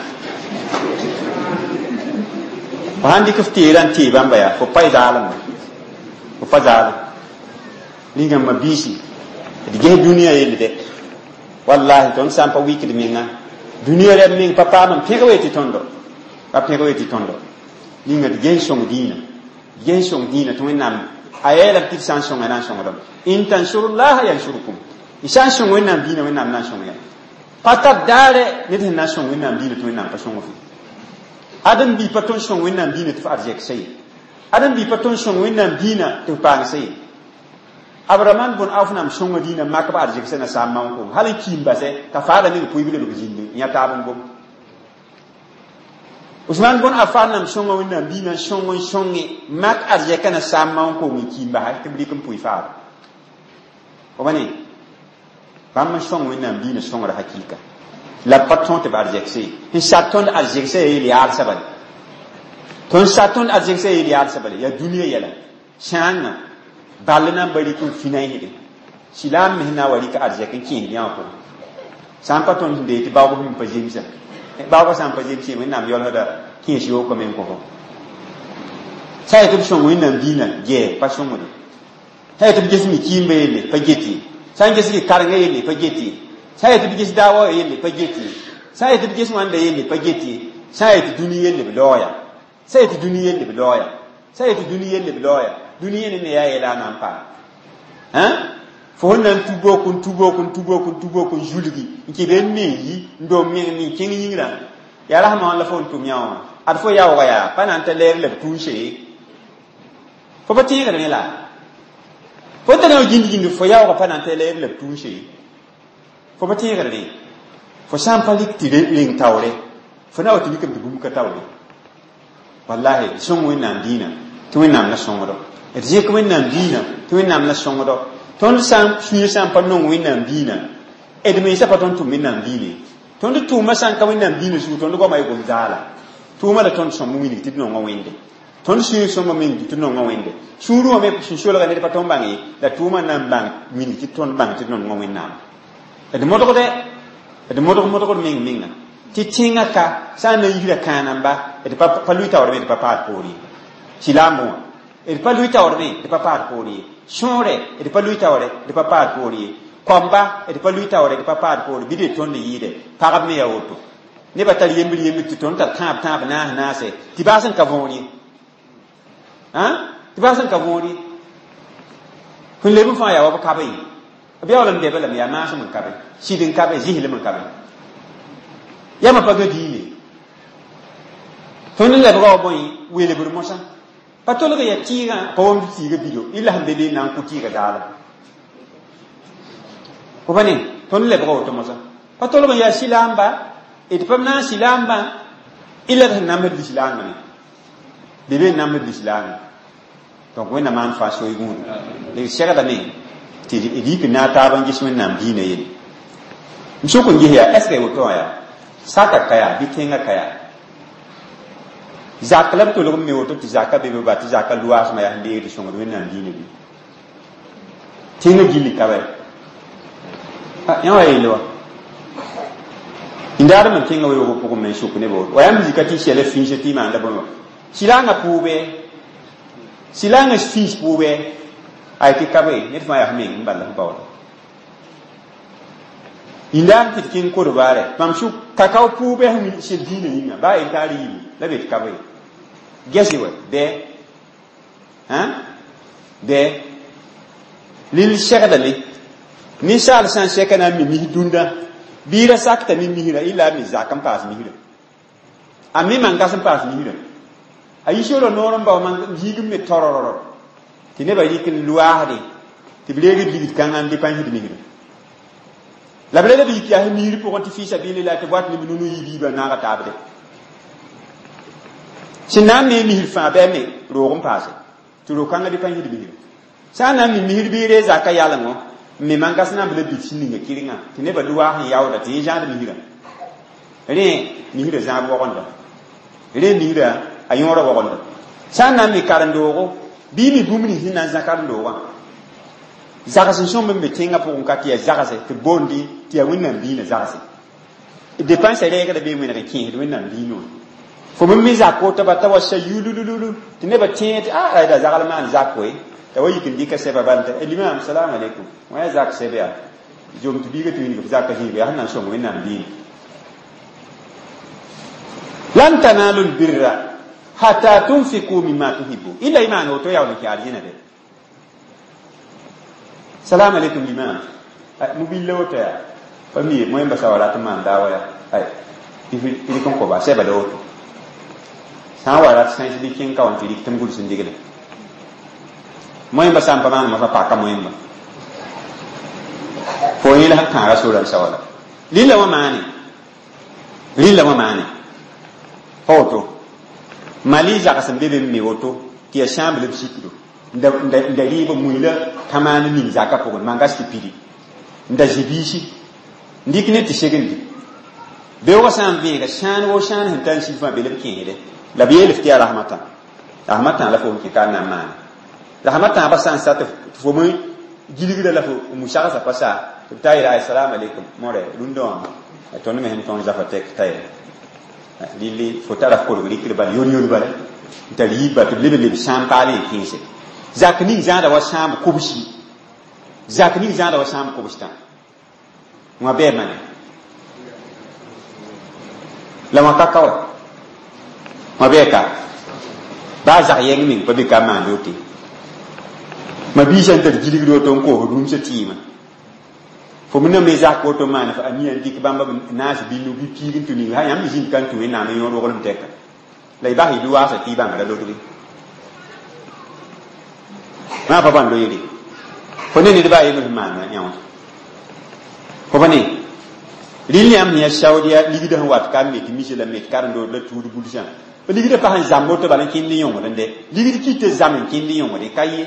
fo sãn dɩk f teerã n tee bãmba yaa fo pa y zaalem fo pa zaalem rĩngãmbã biisi d ges dũniyã yell dɛ wallahi tõnd sã n pa wikd menga dũniyã rɛb meng pa paam n pẽg we tɩ tõndo pa pẽg we tɩ tõndo ninga d ges sõng dĩinã ges sõng dĩinã tɩ wẽnnaam a yeelame tɩ d sã n sõnga na n sõngdame in tansurullaha yansurkum y sã n sõng wẽnnaam dĩinã wẽnnaam na n sõng ya pa tar daare ned sẽn na n sõng wẽnnaam dĩinã tɩ wẽnnaam pa sõng f ãdem bi pa tõnd sõng wẽnnaam dĩinã tɩ f arzɛksa ye ãdem bi pa tõnd sõng wẽnnaam dĩinã tɩ f paangsa ye abraman bʋn auf nam sõnga dĩinã mak b arzɛksa na saam maoong hal n kiim basɛ t'a faada meng pʋɩb lebg zĩnd n yã taab n gom usman bʋn afan nam sõnga wẽnnaam dĩinã n sõng n sõnge mak arzɛka na saam maoong koong n kiim basa tɩ b rɩk n pʋɩ faada fo ba ne bãmb n sõng wẽnnaam dĩinã sõngra hakɩɩka la pa tõog tɩ b arzɛksa ye n sat tõnd arzɛksa ya yel yaalsã bale tõnd sat tõnd arzɛksa ya yel yaalsã bale yaa dũniyã yɛla sãangã ball na n ba rɩk n fĩnaisde Silaam me na wa rɩk arzɛk n kẽesd yã wã pʋgẽ. Sã n pa tõnd sẽn dee tɩ baoog sẽn pa zemsa, baoogã sã n pa zems ye, Wẽnnaam yaoolsda kẽes yookã me n kõ fo. Sã n yetɩ b sõng Wẽnnaam diinã, gɛɛ pa sõngde. Sã n yetɩ b ges mi kɩɩmbã yelle, pa get ye. Sã n ges karenga yelle, pa get ye. Sã n yetɩ b ges daawa yelle, pa get ye. Sã n yetɩ b ges wãnda yelle, pa get ye. Sã n yetɩ dũni yelle, b laooya. Sã n yetɩ dũni yelle, b laooya. Sã n yetɩ dũni yelle, b laooya. Dũni yẽne ne yaa yɛla a na n paam. Fo sẽn na n tu bok n tu bok n tu bok n tu bok n zulgi n kɩ be n me n yi n dom meng n kẽng yĩngrã yaa rasmã wã la fo n tʋm yã wã ad fo yaoogã yaa pa na n ta lɛɛr la b tũuse fo pa tẽegd rẽ la fo tara wã gĩnd-gĩnd fo yaoogã pa na n ta lɛɛr la b tũuse fo pa tẽegd rẽ fo sã n pa rɩk tɩ reng taoore fo na wa tɩ rɩkame tɩ bũmb ka taoore. Wallahi, sõng Wẽnnaam dĩinã tɩ Wẽnnaam la sõngdo. D zẽk Wẽnnaam dĩinã tɩ Wẽnnaam la sõngdo. Tõnd sã n sũyã sã n pa nong Wẽnnaam dĩinã, d mensã pa tõnd tʋm Wẽnnaam dĩinã. Tõnd tʋʋmã sã n ka Wẽnnaam dĩinã zugu, tõnd goamã y gom zaala. Tʋʋmã la tõnd sõmb wilg tɩ d nonga Wẽnde. Tõnd sũyã sõmba meng tɩ d nonga Wẽnde. Sũurẽ wã me sẽn solga ned pa tõnd bãng ye, la tʋʋmã na n bãng wilg tɩ tõnd bãng tɩ d nonga Wẽnnaam. D modgdɛ, d modg modgd meng menga. Tɩ tẽngã ka sã n na n yisra kãanamba, d pa lʋɩ taoor me, d pa paad poor ye. Silaambõ wã, d pa lʋɩ taoor me, d pa paad poor ye. Sõore, d pa lʋɩ taoore, d pa paad poor ye. Koamba, d pa lʋɩ taoore, d pa paad poor, bɩ d tõnd yɩɩde. Pagb me yaa woto. Nebã tar yembr yembr tɩ tõnd tar tãab tãab naas naase, tɩ baas n ka võor ye. Tɩ baas n ka võor ye. Sẽn leb n fãa yaa wa b kabe ye. B yaool n debã lame yaa maasem n kabe, sɩd n kabe, zɩslem n kabe. Yãmba pa ga diine. Tõnd n lebga wa bõe welbr mosã. Pa tolg ya tɩɩgã, pa wãmd tɩɩgã bido, illa sẽn be be n na n kʋ tɩɩgã daala. Fo pa ne, tõnd lebga woto mosã. Pa tolg n yaa silaamba, d pa na n silaambã, illa d sẽn namsd lislaangã me. Be be n namsd lislaangã. Donc Wẽnnaam maan fãa soy gũudu. D segdame tɩ d yik n na a taab n ges Wẽnnaam diinã yelle. M sʋk n ges yaa, est ce que woto wã yaa? Saka ka yaa, bɩ tẽngã ka yaa. Zak la b tolg n me woto tɩ zaka be be ba tɩ zaka loaasmã yaa sẽn deegd sõngd Wẽnnaam diinã bɩ. Tẽngã gilli ka bɛ. Yã wa yeele wa. Indaadem n tẽngã weoogã pʋgẽ me n sʋk nebã woto. Wa yãmb zika tɩ sɛla fĩisã tɩ y maanda bõe wã. Sɩlaangã pʋʋbɛ, sɩlaangã fĩis pʋʋbɛ, ay tɩ ka be, ned fãa yaa f meng n bala f baooda. Indaad tɩ d kẽng kodbaarɛ, mam sʋk kakao pʋʋbɛ sẽn sel diinã yĩnga, baa yen t'a rɩɩme, la be tɩ ka be. Gɛsɩ wɛ, bɩ, bɩ, lil segdame. Ninsaal sã n sɛka na n mi mis dũndã, bɩ ra sakta ne misrã, illa a mi zak n paas misrã. A me man-gas n paas misrã. A yi sora noor n bao man ziig n me torororo. Tɩ nebã rɩk n loaasde, tɩ b reeg d ligd kãngã n dɩ pãnsd misrã. La b re la b yik yaa misr pʋgẽ tɩ fɩ-sabilillah tɩ b wat ne b nunu yi biibã naaga taabde. Sẽn na n me misr fãa bɩ a me roog n paase, tɩ roog kãngã dɩ pãnsd misrã. Sã n na n mi misr bɩ y ree zaka yalengo, n me man-gas na n b la bid sẽn ninga kɩrengã, tɩ nebã loaas n yaooda tɩ yẽ zãad misrã. Rẽ misrã zãab wogenda. Rẽ misrã a yõora wogenda. Sã n na n mi karen-doogo, bɩ y mi bũmb nins sẽn na n zã karen-doogã. Zags n sõmb n be tẽngã pʋgẽ ka tɩ yaa zagse, tɩ b boondi tɩ yaa Wẽnnaam diinã zagse. D depãnsã rɛɛgda bee wẽneg n kẽesd Wẽnnaam diinã wã. Fo me me zak woto ba t'a wa sa yulululu tɩ nebã tẽeg tɩ a da zagl maan zak koe. T'a wa yik n dɩka sɛba bal t'a limam salam alaikum. Wã yaa zak sɛb yaa. Zom tɩ biiga tɩ wilg f zaka zĩiga yaa sẽn na n sõng Wẽnnaam diinã. Lan tanalu lbirra hatta tunfiku mimma tuhibbu. Illa y maan woto yaool n kẽ arzẽna de. Salam alaikum limam. Mobile woto yaa. Pa mi moẽmba sa wa rat n maan daawa yaa. Ay, tɩ rɩk n koba sɛba la woto. Sã n wa rat sãens bɩ kẽng ka wã tɩ rɩk tɩ m gʋls n digle. Moẽmba sã n pa maan mosã paka moẽmba. Fo yẽ la sẽn kãaga sora n sa wala. Rɩla wã maane. Rɩla wã maane. Pa woto. Mali zags n be be n me woto tɩ yaa sãamb la b sikdo. N da rɩɩb mui la tã maan ning zakã pʋgẽ, man-gas tɩ pidi. N da zĩ biisi. N dɩk ne tɩ segndi. Beoogã sã n vẽega sãan wo sãan sẽn tar n sig fãa be la b kẽesde. La b yeel f tɩ yaa rasmã tã. Rasmã tã la fo n kẽ ka n na n maane. Rasmã tãabã sã n sa tɩ fo me Gilgra la fo musagsã pa sa tɩ b ta yeela assalamu alaikum mõre rũndã wã tõnd me sẽn tõng zafa tɛk t'a yɛla rɩle fo tara f kolg rɩkr bala yon-yon bala n tar yiib bal tɩ b leb n leb sãam paal n kẽese zak ning zãada wa sãam kobsi zak ning zãada wa sãam kobstã wã bɩ mane la wã ka ka wa wã bɩ ka baa zak yɛng meng pa be ka maand wote ma biisã n tar gilgd woto n koos rũmsã tɩɩmã fo me na me zak woto maana fa a mia n dɩk bãmba naas binu bɩ piig n tũ ning ha yãmb zĩnd ka n tũ wẽnnaam n yõod roglem tɛka la y bas y luwaasã tɩ y bãngrã lodge maa pa bãn lo yele fo ne ned baa yembr sẽn maana yã wã fo pa ne rɩl yãmb sẽn yaa saudiya ligdã sẽn wat ka me tɩ mise la me tɩ karen-dood la tuud bulsã ligdã pa sẽn zãmb woto bala n kẽnd yõngd n dɛ ligd kɩt tɩ zam n kẽnd yõngde ka ye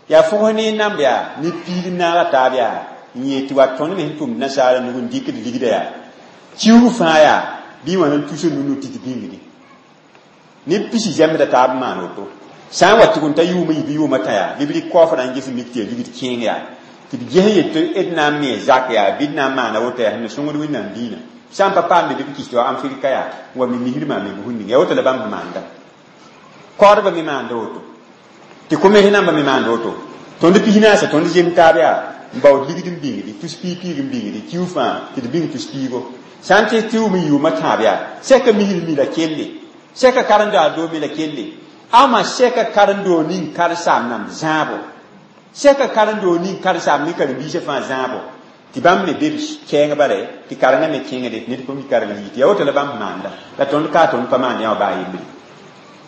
yaa fʋgs ne namb yaa ne piig n naaga taab yaa n yee tɩ wa tõnd me sẽn tʋmd nasaara nug n dɩkd ligdã yaa kiuug fãa yaa bɩ wã n tus nunu tɩ tɩ bĩngdi neb pisi zɛmsda taab n maan woto sã n wa tʋg n ta yʋʋm n yɩ bɩ yʋʋmã tã yaa bɩ b rɩk kaoofrã n ges n mik tɩ yaa ligd kẽeng yaa tɩ b ges n yet tɩ d na n me zak yaa bɩ d na n maana woto yaa sẽn na sõngd wẽnnaam diinã sã n pa paamde bɩ b kis tɩ wa Afrika yaa n wa me misrmã me bʋsũ ning yaa woto la bãmb sẽn maanda kaoodbã me maanda woto tɩ komes nambã me maanda woto tõnd pis naasã tõnd zem taab yaa n baood ligd n bĩngdi tus piig-piig n bĩngdi kiu fãa tɩ d bĩng tus piigo sã n tɩ tɩ wʋm n yʋʋmã tãab yaa sɛka misr mi la kelle sɛka karen-doa doo me la kelle ama sɛka karen-doo ning karen-saam nam zãabo sɛka karen-doo ning karen-saam ne karen-biisã fãa zãabo tɩ bãmb me be b kɛɛng bala tɩ karengã me kẽngde ned pa mi kareng yɩ tɩ yaa woto la bãmb maanda la tõnd ka tõnd pa maan yã wã baa yembre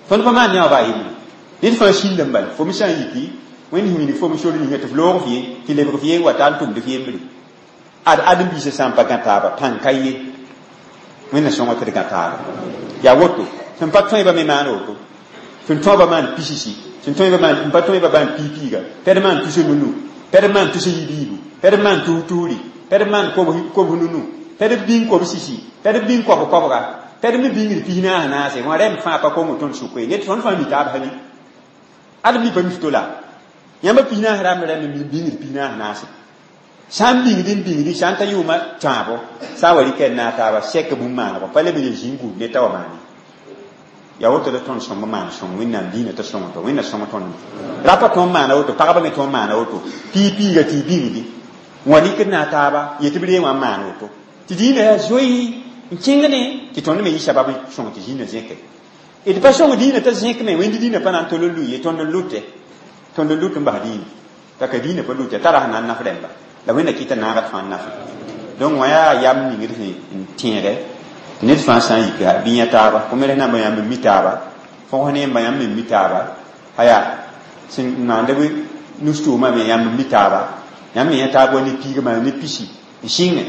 tõnd pa maan yã wã baa yembre ned fãa sĩnda n bala fo me sã n yiki wẽnd sẽn wilg fo me sor ninga tɩ f loog f ye tɩ lebg f ye n wa ta n tʋmd f yembre ad ãdem-biisã sã n pa gã taaba pãn ka ye wẽnna sõnga tɩ d gã taaba yaa woto sẽn pa tõeba me maan woto sẽn tõeba maan pisisi sẽn tõeba maan n pa tõeba maan piig-piiga pɛd maan tus nunu pɛd maan tus yibiibu pɛd maan tus-tusri pɛd maan kobs nunu pɛd bĩng kobs sisi pɛd bĩng kob kobga pɛd me bĩngd pis naas naase wã rɛm fãa pa kong tõnd sʋka ye ned tõnd fãa mi taab hali ad mi pa mi to la yãmba pis naas rãmb rãmb mi bĩngd pis naas naase sã n bĩngd n bĩngdi sã n ta yʋʋmã tãabo sã n wa rɩka d naag taaba sɛk bũmb maanegɔ pa leb n zĩig gũud ne t'a wa maane yaa woto la tõnd sõmb maan sõng wẽnnaam diinã t'a sõng tɔ wẽnna sõng tõnd rapa tõnd maana woto pagba me tõnd maana woto piig-piiga tɩ y bĩngdi n wa rɩkd naag taaba yetɩ b ree wã n maan woto tɩ diinã yaa zoe n kẽngde tɩ tõnd me yɩ sabab n sõng tɩ zĩnã zẽke d pa sõng diinã t'a zẽk me wẽnd diinã pa na n tol n lʋɩ ye tõnd n lʋte tõnd n lʋt n bas diinã t'a ka diinã pa lʋte tara sẽn na n naf rẽmba la wẽnna kɩta naagd fãa n nafe donc wã yaa yam ningd sẽn n tẽegɛ tɩ ned fãa sã n yika bɩ yã taaba kom namba yãmb n mi taaba fõgs ne yẽmba yãmb n mi taaba aya sẽn maanda bɩ nus-tʋʋmã me yãmb n mi taaba yãmb me yã taab wa ne piig maa ne pisi n sɩngẽ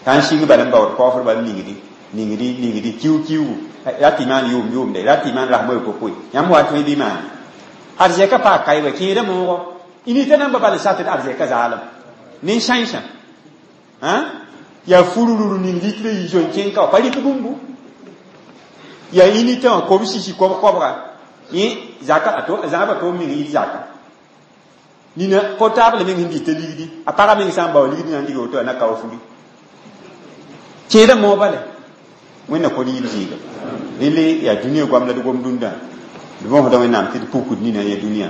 ka n sɩng bala n baood kaoofr bal ningdi ningdi ningdi kiu kiugu ra tɩ maan yʋʋm yʋʋmde ra tɩ maan rasmã kokoe yãmb wa tõe bɩ maane arzɛka paa kaɩ kẽeda moogo inita namba bal n satd arzɛka zaalem nin-sãensã yaa fururur ning litre yi zoe n kẽng ka wa pa rɩk bũmbu yaa initã wã kob sisi kob kobga yẽ zaka zãabã tʋʋm meng yit zaka nina portable meng sẽn dɩta ligdi a pagã meng sã n bao ligdi na n diga woto a na kao furi kẽeda moog bale wẽnna kod yib zɩɩga rele yaa dũniyã goam la d gom dũndã d võsda wẽnnaam tɩ d pukd nina ya dũniyã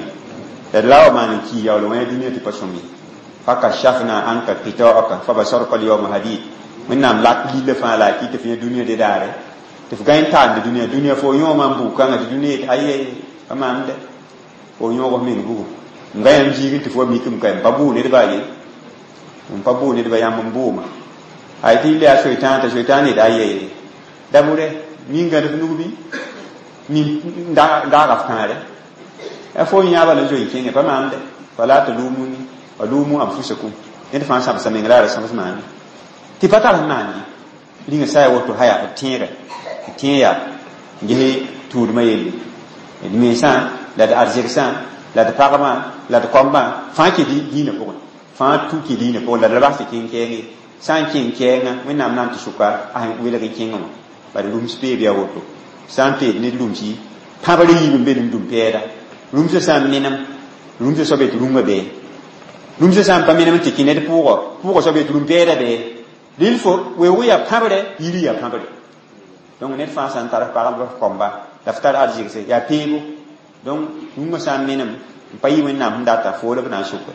la d la wa maan n kii yaool wã ya dũniyã tɩ pa sõm ye fakashafna anka qita'aka fabasarka al-yawma hadid wẽnnaam lak lilla fãa la a kɩ tɩ f yã dũniyã de daare tɩ f gãe n taamde dũniyã dũniyã fo yõoma n bug kãngã tɩ dũniyã yet aye pa maamde fo yõog f meng bugu n ga yãmb ziig tɩ fo wa mikem ka n pa bʋʋ nedba ye n pa bʋʋ nedba yãmb n bʋʋma ay tɩ yɩl yaa soetãan t'a soetãan yet aye da bʋrɛ min gãd f nug bɩ min daaga f kãare a fo yãaba la zoe n kẽngẽ pa maamde fala talumuni wa lumu anfusakum ned fãa sãbsa meng la ra sãbs maane tɩ pa tar sẽn maan ye rĩnga sa ya woto haya b tẽegɛ tɩ tẽeg yaa n ges tũudmã yelle d mensã la d arzɛgsã la d pagmã la d koambã fãa kẽ diinã pʋgẽ fãa tũ kẽ diinã pʋgẽ la d ra bas tɩ kẽng kɛɛng ye sã n kẽng kɛɛngã wẽnnaam na n tɩ sʋka a sẽn welg n kẽngẽ wã bala rũms peeb yaa woto sã n peed ned rũmsi pãbr yiib n be n dũm pɛɛda rũmsã sã n menem rũmsã soab yetɩ rũngã bee Rũmsã sã n pa menem tɩ kẽ ned pʋʋgɔ pʋʋgɔ soab yetɩ rũm-pɛɛda bee dɩl fo weoog yaa pãbre yiri yaa pãbre donc ned fãa sã n tar f pagb f kɔmba la f tar arzɩgse yaa peebo donc rũngã sã n menem n pa yɩ wẽnnaam sẽn data fo la b na n sʋke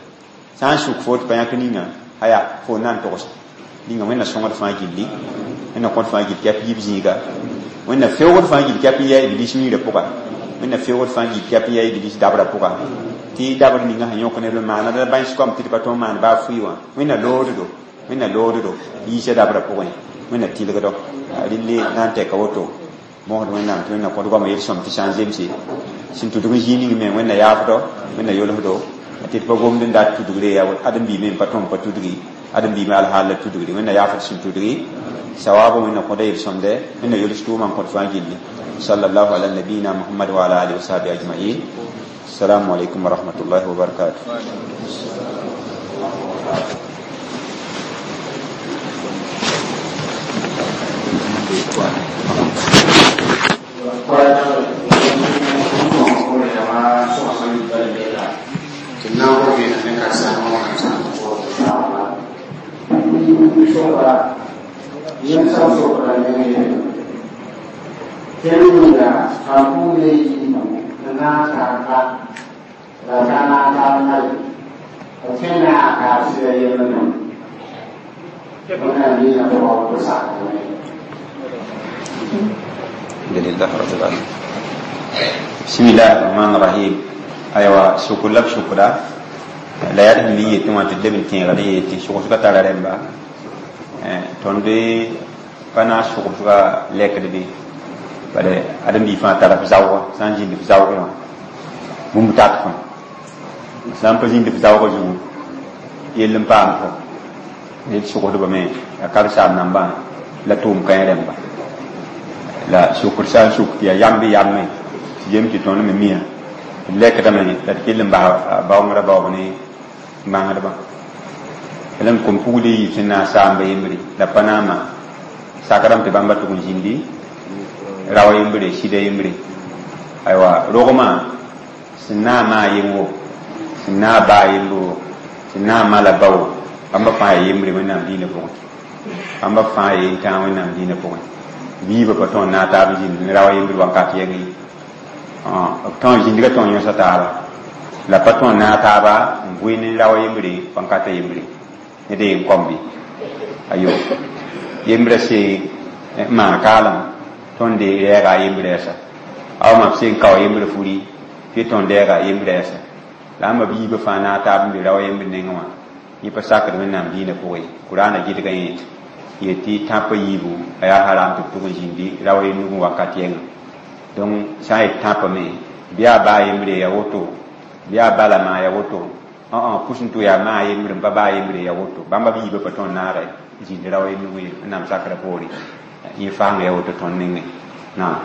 sã n sʋk fo tɩ pa yãk ninga aya fo na n togsa ninga wẽnna sõngd fãa gilli wẽnna kõt fãa gill kɛp yiib zĩiga wẽnna feoogd fãa gill kɛp n yaa iblis miirã pʋga wẽnna feoogd fãa gill kɛp n yaa iblis dabrã pʋga tɩ dabr ninga sẽn yõk neb n maana la bãens kom tɩ d pa tõe n maan baa fʋɩ wã wẽnna looddo wẽnna looddo yiisã dabrã pʋgẽ wẽnna tɩlgdo relle na n tɛka woto mosd wẽnnaam tɩ wẽnna kõt goama yel-sõm tɩ sã n zemse sẽn tudg n zĩig ning me wẽnna yaafdo wẽnna yolsdo tɩ d pa gomd n dat tudgre yaa ãdem-biime n pa tõm pa tudgi ãdem-biime alhaal la tudgri wẽnna yaafd sẽn tudgi sawaabã wẽnna kõda yel-sõmde wẽnna yols tʋʋmã n kõt fãa gilli sallallahu ala nabiyina muhammad wa ala alihi wa sahbihi ajma'in. Assalamu alaikum wa rahmatullahi wa barakatuh. Alhamdulillah rabbil alamin. Bismillahir rahmanir rahim. Aywa shukur la shukura la yaa d mi yetẽ wã tɩ d leb n tẽegd n yetɩ sʋgsga tara rẽmba tõnd pa na n sʋgsga lɛkd bɩ bala ãdem-bi fãa tara f zaooga sã n zĩnd f zaoogẽ wã bũmb tat fõ sã n pa zĩnd f zaoogã zugu yell n paam fo ned sʋgsdbame a karsaam nambã la tʋʋm kãe rẽmba la sʋkr sã n sʋk tɩ yaa yam bɩ yamme tɩ yem tɩ tõnd me mia d lɛkdame la d kell n bas baoongrã baoob ne mangsdbã la n kom pugl yiib sẽn na n saamba yembre la pa na n maan sakrame tɩ bãmba tʋg n zĩndi rao yembre sɩda yembre aywa rogmã sẽn na n maa yem wo sẽn na n baa yembre wo sẽn na n ma la ba wo bãmba fãa yaa yembre wẽnnaam dĩinã pʋgẽ bãmba fãa yaa yentãag wẽnnaam dĩinã pʋgẽ biibã pa tõe n naag taab n zĩnd ne rao yembre wakat yɛng ye b tõe n zĩndga tõe n yõsa taaba la pa tõe n naag taaba n vʋɩ ne rao yembre wãnkata yembre ned yen kõm bɩ ayo yembrã sẽn n maan kaalem tõnd rɛɛga a yembrã yɛsa awa b sẽn kao yembrã furi tɩ tõnd rɛɛga a yembrã yɛsa la ãmba biibã fãa naag taab n be rao yembr nengẽ wã yẽ pa sakd wẽnnaam dĩinã pʋgẽ kuraana gɩdgã yẽ yetɩ tãpã yiibu a yaa haram tɩ b tʋg n zĩndi rao ye nugẽ wakat yɛngã donc sã n yet tãpame bɩ yaa baa yembre ya woto bɩ yaa bala maa ya woto pʋs n tʋ yaa maa yembre n pa baa yembre ya woto bãmba b yiibã pa tõnd naagɛ zĩnd rao ye nugẽ wẽnnaam sakrã poore yẽ faang ya woto tõnd nengẽ naam.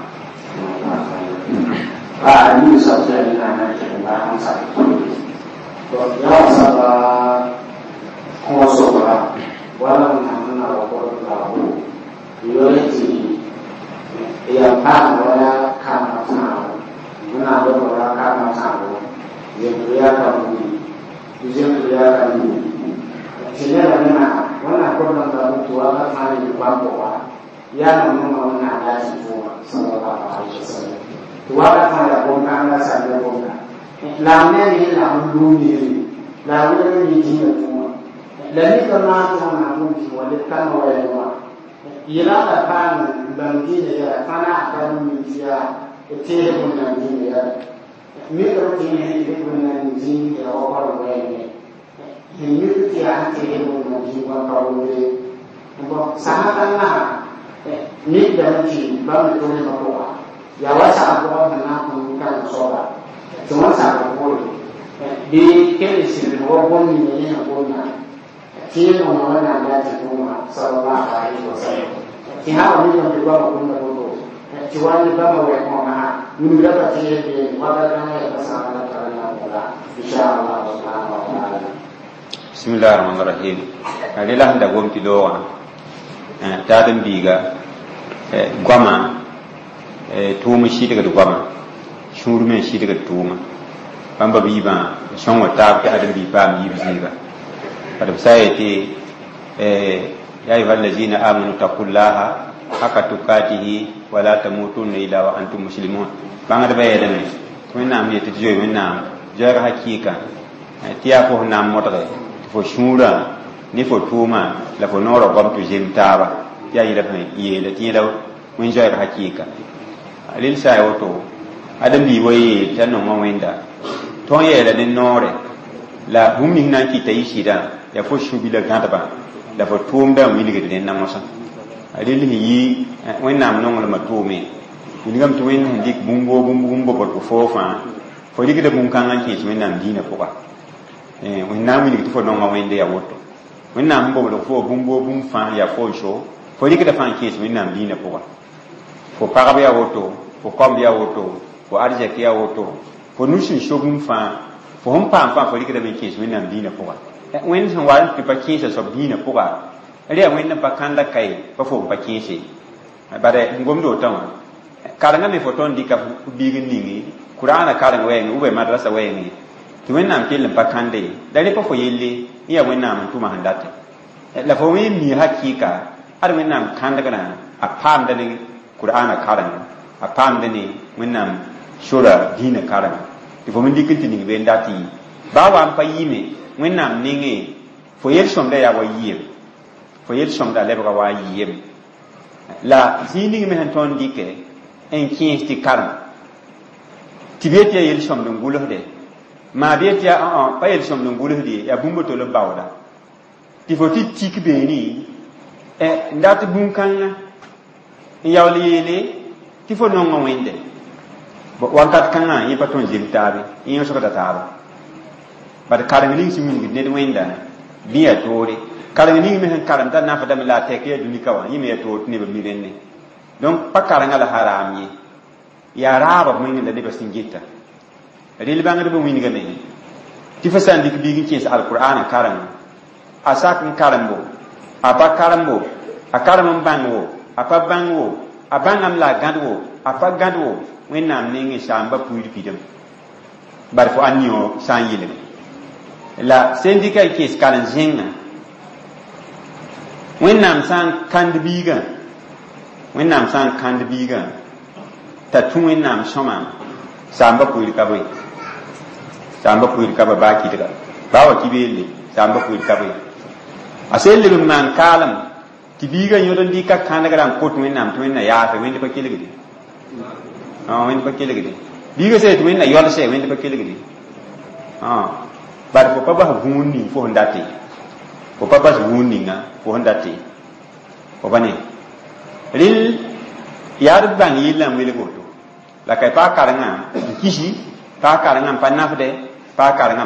Bismillah rahman rahim rela sẽn da gom tɩ loogã taad n biiga goama tʋʋm n sɩdgd goama sũur me n sɩdgd tʋʋma bãmba biibã sõngo taab tɩ ãdem-biig paam yiib zĩiga Bad b sã n yetɩ ya ayuha allazina amanu taqullaha haka tukatihi wala tamutunna illa wa antum muslimun. Bãngdbã yeelame tɩ Wẽnnaam yetɩ tɩ zoe Wẽnnaam zoɛɛg hakɩɩka tɩ yaa fo sẽn na n modge tɩ fo sũurã ne fo tʋʋmã la fo noorã goam tɩ zem taaba tɩ yaa yẽla sẽn yeela tɩ yẽla wẽn zoɛɛg hakɩɩka. Rel sã n ya woto ãdem-biig wa yeel t'a nonga Wẽnda tõnd yeela ne noore la bũmb nins na n kɩta yɩ sɩdã yaa fo sũ-bilã gãdbã la fo tʋʋmdã n wilgd rẽnna mosã. Rel sẽn yi Wẽnnaam nonglmã tʋʋme wilgame tɩ Wẽnd sẽn dɩk bũmb woo bũmb bobdg foo fãa fo rɩkda bũn-kãngã n kẽes Wẽnnaam diinã pʋga. Wẽnd na n wilg tɩ fo nonga Wẽnde yaa woto Wẽnnaam sẽn bobdg fo bũmb woo bũmb fãa yaa fo n so fo rɩkda fãa n kẽes Wẽnnaam diinã pʋga. Fo pagb yaa woto, fo kaomb yaa woto, fo arzɛk yaa woto, fo nus sẽn so bũmb fãa, fo sẽn paam fãa fo rɩkdame n kẽes Wẽnnaam diinã pʋga. Wẽnd sẽn wa n tɩ pa kẽesa soab diinã pʋga rẽ yaa Wẽnd n pa kãnda kae pa fo n pa kẽese. Bare n gomd wotã wã karengã me fo tõnd dɩka f biig n ningi Kuraana kareng wɛɛngẽ ou bien madrasa wɛɛngẽ tɩ Wẽnnaam kell n pa kãnde la rẽ pa fo yelle n yaa Wẽnnaam n tʋma sẽn date la fo wẽ mi hakɩɩka ad Wẽnnaam kãndgrã a paamda ne Kuraana kareng a paamda ne Wẽnnaam sora diinã kareng tɩ fo me dɩk n tɩ ning be n dat yɩ baa wa n pa yɩɩme Wẽnnaam nengẽ fo yel-sõmda yaa wa yɩɩm fo yel-sõmda lebga wa yɩɩm la zĩig ning me sẽn tõnd dɩkɛ n kẽes tɩ karem tɩ b yet yaa yel-sõmd n gʋlsde maa b yet yaa pa yel-sõmd n gʋlsd ye yaa bũmb tol n baooda tɩ fo tɩ tik beene n dat bũn-kãngã n yaool yeele tɩ fo nonga Wẽnde wakat kãngã yẽ pa tõnd zem taabe yẽ yõsgda taaba bad kareng ning sẽn wilgd ned Wẽnda bɩ yaa toore kareng ning me sẽn karem t'a nafdame la a tɛk yaa dũni ka wã yẽ me yaa toor tɩ nebã mi rẽnne. Donc pa karengã la haram ye yaa raaba b wẽngẽ la nebã sẽn geta rel bãngdbã wĩnigame tɩ fo sã n dɩk biig n kẽes alqur'ana kareng a sak n karembo a pa karembo a karem n bãng wo a pa bãng wo a bãngame la a gãd wo a pa gãd wo Wẽnnaam nengẽ saamba puir pidem bar fo ãn yõ sã n yɩlge la sẽn dɩka n kẽes karen-zẽngã Wẽnnaam sã n kãnd biigã Wẽnnaam sã n kãnd biigã t'a tũ Wẽnnaam sõma saamba puir ka bõe saamba puir ka ba baa kɩdga baa wa ki beelle saamba puir ka bõe a sẽn leb n maan kaalem tɩ biigã yõd n dɩka kãndgrã n kot Wẽnnaam tɩ Wẽnna yaafe Wẽnd pa kelgde Wẽnd pa kelgde biigã sã tɩ Wẽnna yɔlse Wẽnd pa kelgde bad fo pa bas vũun ning fo sẽn date fo pa bas vũun ninga fo sẽn date fo pa ne rel yaa d bãng yellã n welg woto la ka paa karengã n kisi paa karengã n pa nafdɛ paa karengã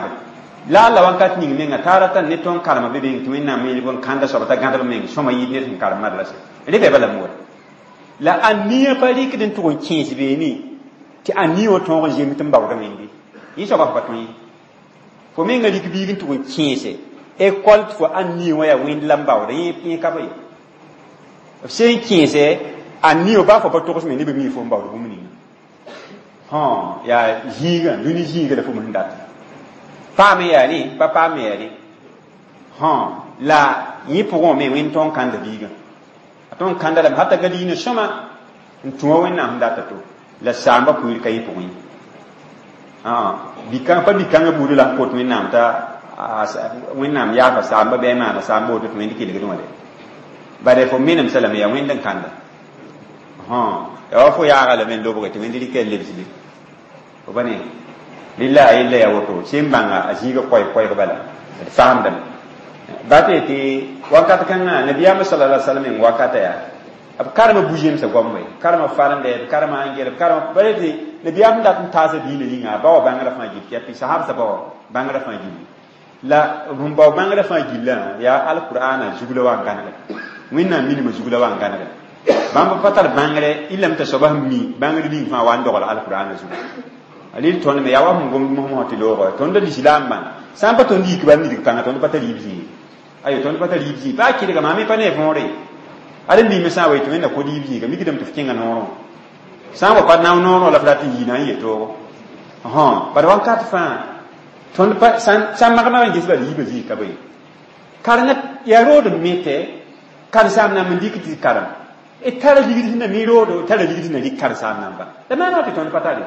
la la wakat ning menga tara tan ne tõnd karema be beng tɩ Wẽnnaam yelg n kãnda soaba t'a gãdb meng sõma yɩɩd ned sẽn karem madrasa rẽ bɩ bala wa la a nia pa rɩkd n tʋg n kẽes beene tɩ a nia wã tõog n zems tɩ n baoodame wẽnde yẽ soaba f pa tõe fo menga rɩk biig n tʋg n kẽese école tɩ fo ãn nia wã yaa wẽnd la n baooda yẽ ka be f sẽn kẽese a nia baa fo pa togsme nebã mi fo n baood bũmb ninga yaa zĩigã dũni zĩiga la fo sẽn data paame yaa rẽ pa paame yaa rẽ la yẽ pʋgẽ me Wẽnd tõnd kãnda biigã a tõnd kãnda lame hata ga diinã sõma n tũa Wẽnnaam sẽn data to la saamba puir ka yẽ pʋgẽ ye pa bi-kãngã buudã la sẽn kot Wẽnnaam t'a Wẽnnaam yaafa saamba bɩ a maana saamba woto tɩ Wẽnd kelgd wã de bare fo menemsa lame yaa Wẽnd n kãnda yaa wa fo yaaga lame n lobge tɩ Wẽnd rɩka lebsle fo pa ne rɩla a yella yaa woto sẽn bãnga a zĩiga koɛɛg bala d faamdame ba tɩ tɩ wakat kãngã nabiyaamã sala la sallam n wakata yaa b karema bu-zemsã goam we karema farende b karema angɛl b karema bara tɩ nabiyaam sẽn dat n taasa diinã yĩnga a ba wa bãngrã fãa gill tɩ yaa sahabsã ba wa bãngrã fãa gill la sẽn bao bãngrã fãa gillã yaa alqur'ana zug la wa n gãnega Wẽnnaam minimã zug la wa n gãnega bãmb pa tar bãngre y lame t'a soaba sẽn mi bãngr ning fãa wa n dogl alqur'ana zugu rel tõnd me yaa wa sẽn gomd mosmosã tɩ loogã tõnd lislaam bãn sã n pa tõnd yik bãmb nidg pãnga tõnd pa tar yib zĩig ayo tõnd pa tar yib zĩig baa kɩdga maa me pa ne võore ad n biime sã n wa tɩ Wẽnna kod yib zĩiga mikdame tɩ f kẽnga noorẽ sã n wa pa nao noorẽ la f rat n yɩ na n yetoogo bad wakat fãa tõnd pa sã n mag-mag n ges bal yiibã zĩig ka be Karengã yaa rood n mete karen-saam namba n dɩk tɩ karem d tara ligd sẽn na mi roodo tara ligd sẽn na rɩk karen-saam namba la maana tɩ tõnd pa tare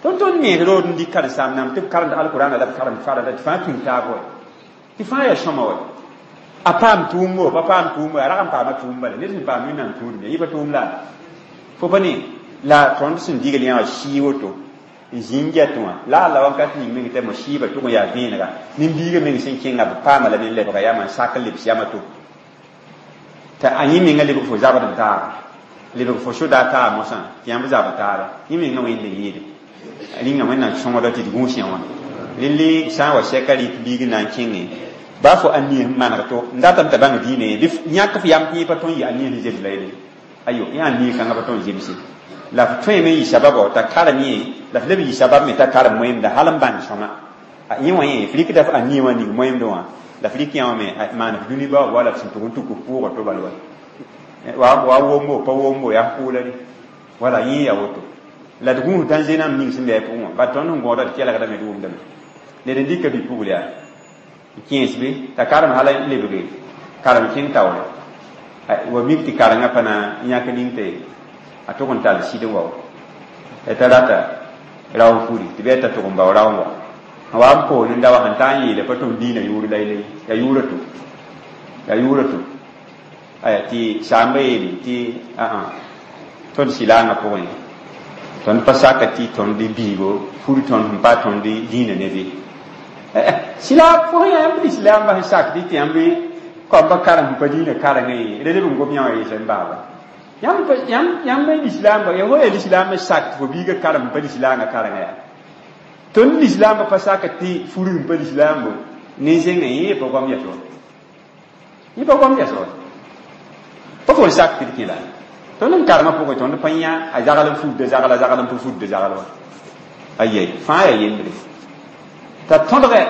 tõnd tõnd mees rood n dɩk karen-saam namb tɩ b karemd alkʋrana la b karemd farada tɩ fãa tũud taab wa tɩ fãa yaa sõma wa a paam tʋʋmbo pa paam tʋʋmbo a rag n paama tʋʋm bala ned sẽn paam wẽnnaam tũudme yɩ pa tʋʋm la fo pa ne la tõnd sẽn digl yã wã sɩɩ woto n zĩng get wã la a la wakat ning meng tɩ mo sɩɩbã tʋg n yaa vẽenega nin-biigã meng sẽn kẽnga b paama lame n lebga yama n sak n lebs yama to t'a a yẽ menga lebg fo zabd n taaba lebg fo soda taab mosã tɩ yãmb zabd taaba yẽ menga wẽnd n yɩɩde rĩnga wẽnnaam sõngda tɩ d gũus yã wã rẽnd sã n wa sɛka rɩk biig n na n kẽngẽ baa fo a-niis n maneg to n datame t'a bãng diinã bɩ yãk f yam tɩ yẽ pa tõe n yɩ a-niis n zems la yelle ayo yã a-niis kãngã pa tõe n zemse la f tõeme n yɩ sababa t'a karem yẽ la f leb n yɩ sabab me t'a karem moẽmda hal n bãnd sõma yẽ wã yẽ f rɩkda f a-niis wã ning moẽmdẽ wã la f rɩk yã wã me maan f dũni baoog wala f sẽn tʋg n tuk f pʋʋga to bal wa wa wombo pa wombo yaa f pʋʋla re wala yẽ yaa woto la d gũus dãnze nam ning sẽn be a pʋgẽ wã bat tõnd sẽn gõoda d kelgdame d wʋmdame ned n dɩka bi-pugl yaa n kẽes be t'a karem hala n lebge karem kẽng taoore wa mik tɩ karengã pa na n yãk ning tɩ a tʋg n tall sɩd n wa t'a rata rao n furi tɩ bɩ t'a tʋg n bao rao n wa n wa n poor n da wa sẽn taa n yeela pa tʋm diinã yʋʋr la yelle yaa yʋʋra to yaa yʋʋra to aya tɩ saamba yeele tɩ aa tõnd sɩlaangã pʋgẽ tõnd pa saka tɩ tõnd biigo fur tõnd sẽn pa tõnd dĩinã ne be sɩla fo sẽn yãmb lislaambã sẽn sak tɩ tɩ yãmb koamba karem sẽn pa dĩinã karengã ye rẽ leb n gom yã wã yeesã n baaba yãmb lislaambã ya fo yaa lislaam n sak tɩ fo biigã karem sẽn pa lislaangã karengã yaa tõnd lislaambã pa saka tɩ fur sẽn pa lislaambo nin-zẽngã yẽ pa goam yas wa yẽ pa goam yas wa pa fo n sak tɩ d kẽ la tõnd n karemã pʋgẽ tõnd pa yã a zagl n fudda zagla zagl n pa fudda zagl wa ayɛ fãa yaa yembre t'a tõdgɛ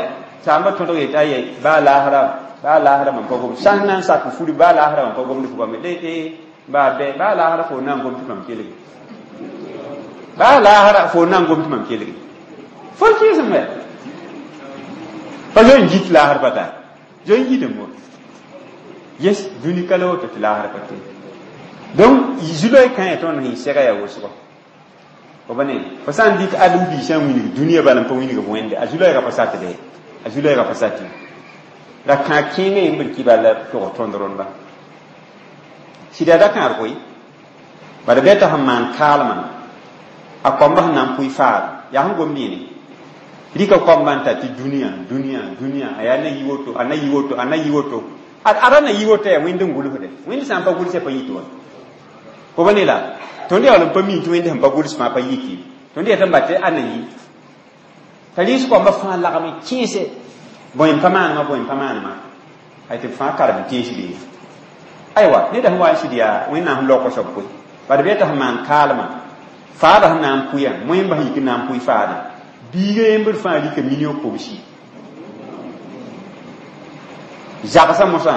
saamba tõdg yetɩ ayɛ baa laasra mam pa gom sã n na n sak furi baa laasra mam pa gomd fo goame baa bɛ baa laasra fo na n gom tɩ mam kelge baa laasra fo na n gom tɩ mam kelge fo kɩɩsem bɛ pa zoe n git laasr pa taa zoe n gitame wa yes dũni ka la woto tɩ laasr pa tee donc zu-loe kãe tõnd sẽn sɛga yaa wʋsgo fo ba ne fo sã n dɩk adem-biisã n wilg dũniyã bala n pa wilg wẽnde a zu-loɛɛgã pa sakde a zu-loɛɛgã pa sake la kãag kẽengã yembr kɩ bala tog tõnd rõndba sɩda da kãad koe bala bɩ t'a sẽn maan kaalmã a koamba sẽn na n pʋɩ faad yaa sẽn gomd yẽne rɩka koamba n ta tɩ dũniyã dũniyã dũniyã a yaa na yi woto a na yi woto a na yi woto a ra na yi woto yaa wẽnd n gʋlsde wẽnd sã n pa gʋlsã pa yit wa fo ba ne la tõnd yaa n pa mi tɩ wẽnd sẽn pa gʋls fãa pa yiki tõnd yaa tɩ n ba tɩ a na yi t'a rɩs koamba fãa lagm kẽese bõe n pa maanema bõe n pa maanema ay tɩ b fãa karem teesde aywa neda sẽn wa n sɩd yaa wẽnnaam sẽn laoog soab koe bad bɩ t'a sẽn maan kaalmã faada sẽn na n pʋyã moẽmbã sẽn yik n na n pʋɩ faadã biiga yembr fãa rɩka million kobsi zagsã mosã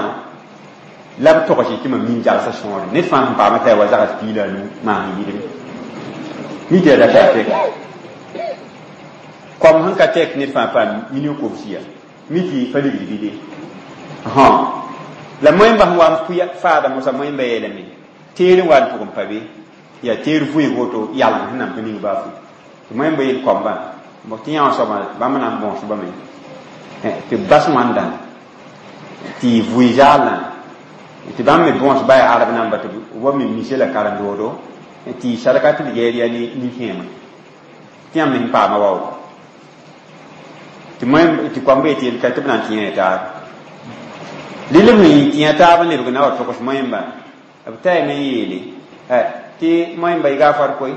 la b togs tɩ mam nin zagsã sõore ned fãa sẽn paama t'a wa zags piig la a nu maan yɩɩdme mi tɩ yaa da ka tɛk kom sẽn ka tɛk ned fãa paam million kobsi ya mi tɩ pa ligd bɩ la moẽmbã sẽn wa n pʋɩ faada mosã moẽmbã yeelame teer n wa n tʋg n pa be yaa teer vʋɩɩg woto yalem sẽn na n pa ning baa fu tɩ moẽmbã yeel koambã tɩ yã wã soabã bãmb na n bõos bame tɩ b bas wãndã tɩ vʋɩ zaalã tɩ bãmb me bõos ba yaa arab namba tɩ wa me mise la karen-doodo tɩ sadka tɩ b geer yaa nin-kẽema tɩ yãmb me sẽn paama waoogo tɩ moẽ tɩ koamba yetɩ yel ka tɩ b na n tɩ yã taab lɩl b sẽn tɩ yã taab n lebg na wa togs moẽmba b taame n yeele tɩ moẽmba y gaafar koe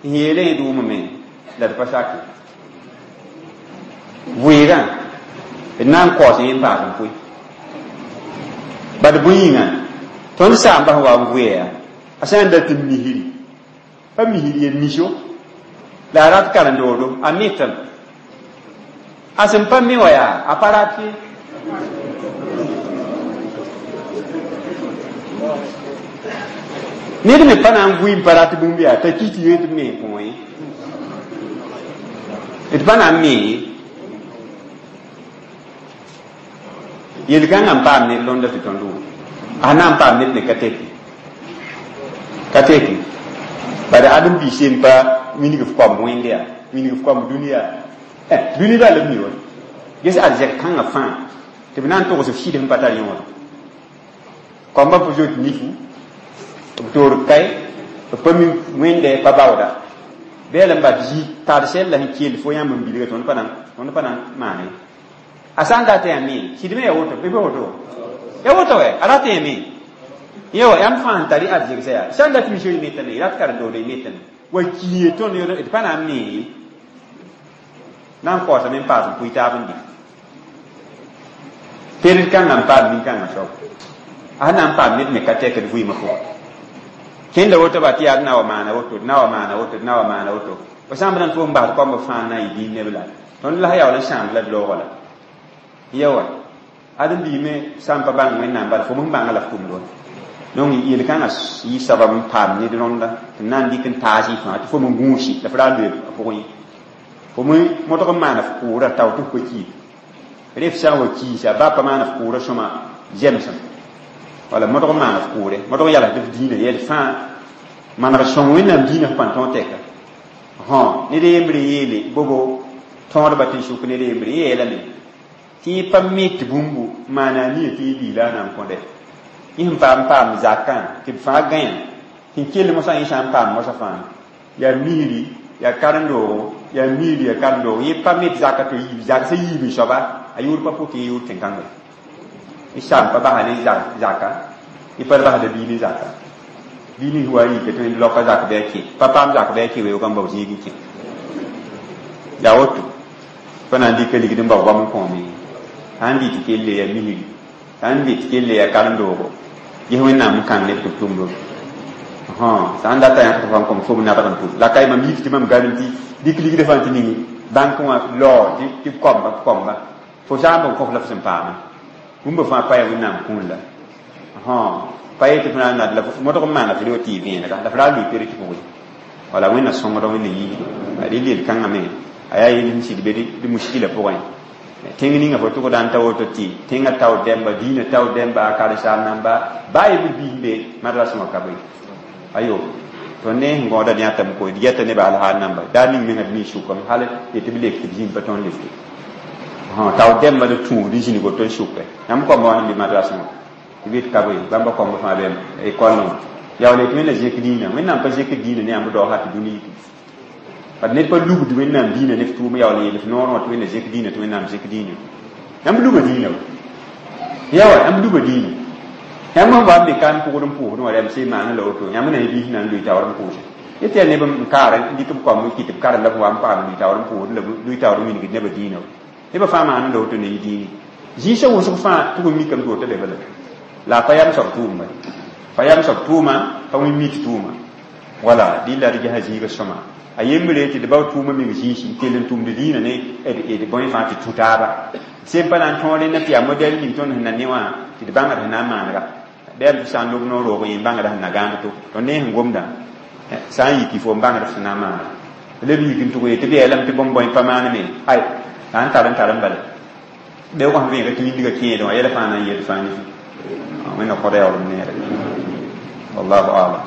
n yeele yẽ dʋʋmame la d pa sake vʋɩɩgã d na n kaoos yẽ n paas n pʋɩ bad bõe yĩnga tõnd saamba sẽn wa n vʋɩa yaa a sã n dat n misri pa misri ye miso la a rat karen-doodo a metame a sẽn pa me wã yaa a pa rat ye ned me pa na n vʋɩ n pa rat bũmb yaa t'a kis tɩ yee tɩ b me n kõ ye d pa na n me ye Yel-kãngã n paam ned rõnda tɩ tõnd wʋm a na n paam ned ne ka teki ka teki bala ãdem-biis yen pa wilg f koamb wẽnde yaa wilg f koamb dũni yaa dũni bal b mi wa ges arzɛk kãngã fãa tɩ b na n togs f sɩd sẽn pa tar yõod koamba p zoet nifu b toor kae b pa mi wẽnde pa baooda bɩ la n bat zi tar sɛl la sẽn kell fo yãmb n bilga tõnd pa na n maane a sã n dat yaa me sɩd me ya woto bɩ woto ya woto wɛ a rat yã me yã wa yãmb fãa sẽn tar arzegsa yaa sã n dat misio y metame rat karen-dood y metame wa kiie tõnd d pa na n mee na n kaoosame n paas n pʋɩ taab n dɩ pered kãngã n paam nin-kãngã soab a sẽn na n paam ned me ka tɛkd vɩɩmã pʋgẽ kẽnda woto ba tɩ yaa d na wa maana woto d na wa maana woto d na wa maana woto fo sã n b na n tʋg n basd koamb fãa n na n yɩ dĩin neb la tõnd la yaool n sãamd la d loogã la yawa ãdem-biig me sã n pa bãng wẽnnaam bala fo sẽn bãnga la f tʋmd wa donc yel-kãngã yɩ sabab n paam ned rõnda tɩ na n dɩk n taas y fãa tɩ fo me gũusi la f ra loe a pʋgẽ ye fo me modg n maana f kʋʋra tao tɩ f pa kiid ref sã n wa kiisa ba pa maana f kʋʋra sõma zemsem wala modg n maana f kʋʋre modg n yalsd f dĩinã yɛl fãa maneg sõng wẽnnaam dĩinã f pãn tõog tɛka ned yembre yeele bobo tõodba tɩ n sʋk ned yembre yẽ yeelame tɩ yẽ pa me tɩ bũmbu maana a nia tɩ yẽ biila a na n kõdɛ yẽ sẽn paam paam zakã tɩ b fãa gãyã sẽn kell mosã yẽ sã n paam mosã fãa yaa misri yaa karen-doogo yaa misri yaa karen-doogo yẽ pa me tɩ zaka tɩ yiib zak sẽn yiib n soaba a yʋʋr pa pʋk yẽ yʋʋr tẽn-kãngã y saam pa basa ne zaka y pa basda bii ne zaka bii nins wa yika tɩ laoka zak bɩ a kẽ pa paam zak bɩ a kẽ weoogã n bao zĩig n kẽ yaa woto pa na n dɩka ligd n bao bãmb n kõome sã n dɩ tɩ kelle yaa misri sã n dɩ tɩ kelle yaa karen-doogo ges wẽnnaam n kãng ned tɩ b tʋmdo sã n data yãk tɩ fãa n kõm fo b nadg n tʋm la ka mam yik tɩ mam garem tɩ dɩk ligdã fãa tɩ ning bãnk wã lao tɩ b koamba b koamba fo sã n b kõf la f sẽn paama bũmba fãa pa yaa wẽnnaam kũun la pa yetɩ f na n nad la modg n maana f reo tɩ y vẽenega la f ra lʋɩ pere tɩ pʋgẽ wala wẽnna sõngda wẽnna yiisdo a rel yel-kãngã me a yaa yel sẽn sɩd be d muskila pʋgẽ tẽng ninga fo tʋgda n ta woto tɩ tẽngã tao dɛmba diinã tao dɛmba a karen-saam namba baa yembr biis n be madrasẽ wã ka bõe ayo tõnd ne sẽn gõoda d yãtame koe d yɛta nebã alhaal namba daa ning menga d mi sʋkame hal yetɩ b lek tɩ b zĩnd pa tõnd lekte tao dɛmba d tũud n zĩnig woto n sʋke yãmb koamba wã n be madrasẽ wã tɩ b yet ka bõe bãmba koamba fãa bɩ ekɔlẽ wã yaool yetɩ wẽnna zẽk diinã wẽnnaam pa zẽk diinã ne yãmb dao sã tɩ dũni yiki bad ned pa lugd wẽnnaam diinã ne f tʋʋm yaool n yeel f noorẽ wã tɩ wẽnna zẽk diinã tɩ wẽnnaam zẽk diinã yãmb luga diinã wa yawa yãmb luga diinã yãmb sẽn wa n be ka n pʋgd n pʋʋsd wã rɛm sẽn maana la woto yãmb na y biis na n lʋɩ taoor n pʋʋse yetɩ yaa neb n kaar n dɩk b koamb n kɩt b karem la b wa n paam lʋɩ taoor n pʋʋsd la lʋɩ taoor n wilgd nebã diinã wa nebã fãa maana la woto ne y diini zĩisã wʋsg fãa tʋg n mikame tɩ woto be bala la a pa yam soab tʋʋmba pa yam soab tʋʋma pa wẽ mit tʋʋma wala dɩlla d gesa zĩiga sõma a yembre tɩ d bao tʋʋma meng zĩisi n kell n tʋmd dĩinã ne d bõe fãa tɩ tũ taaba sẽn pa na n tõog rẽnda tɩ yaa modɛl ning tõnd sẽn na ne wã tɩ d bãngd sẽn na n maanega bɩ tɩ sã n lob noor roog yẽ n bãngda sẽn na gãand to tõnd ne sẽn gomdã sã n yiki fo n bãngd sẽn na n maanega leb yik n tʋg yetɩ bɩ yeelame tɩ bõmb bõe pa maaneme ay sã n tar n tar n bala beoogã sẽn vẽega tɩ wĩndgã kẽedẽ wã yɛla fãa na n yel fãa ne wẽnna kõda yaool n neere wallahu alam.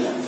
La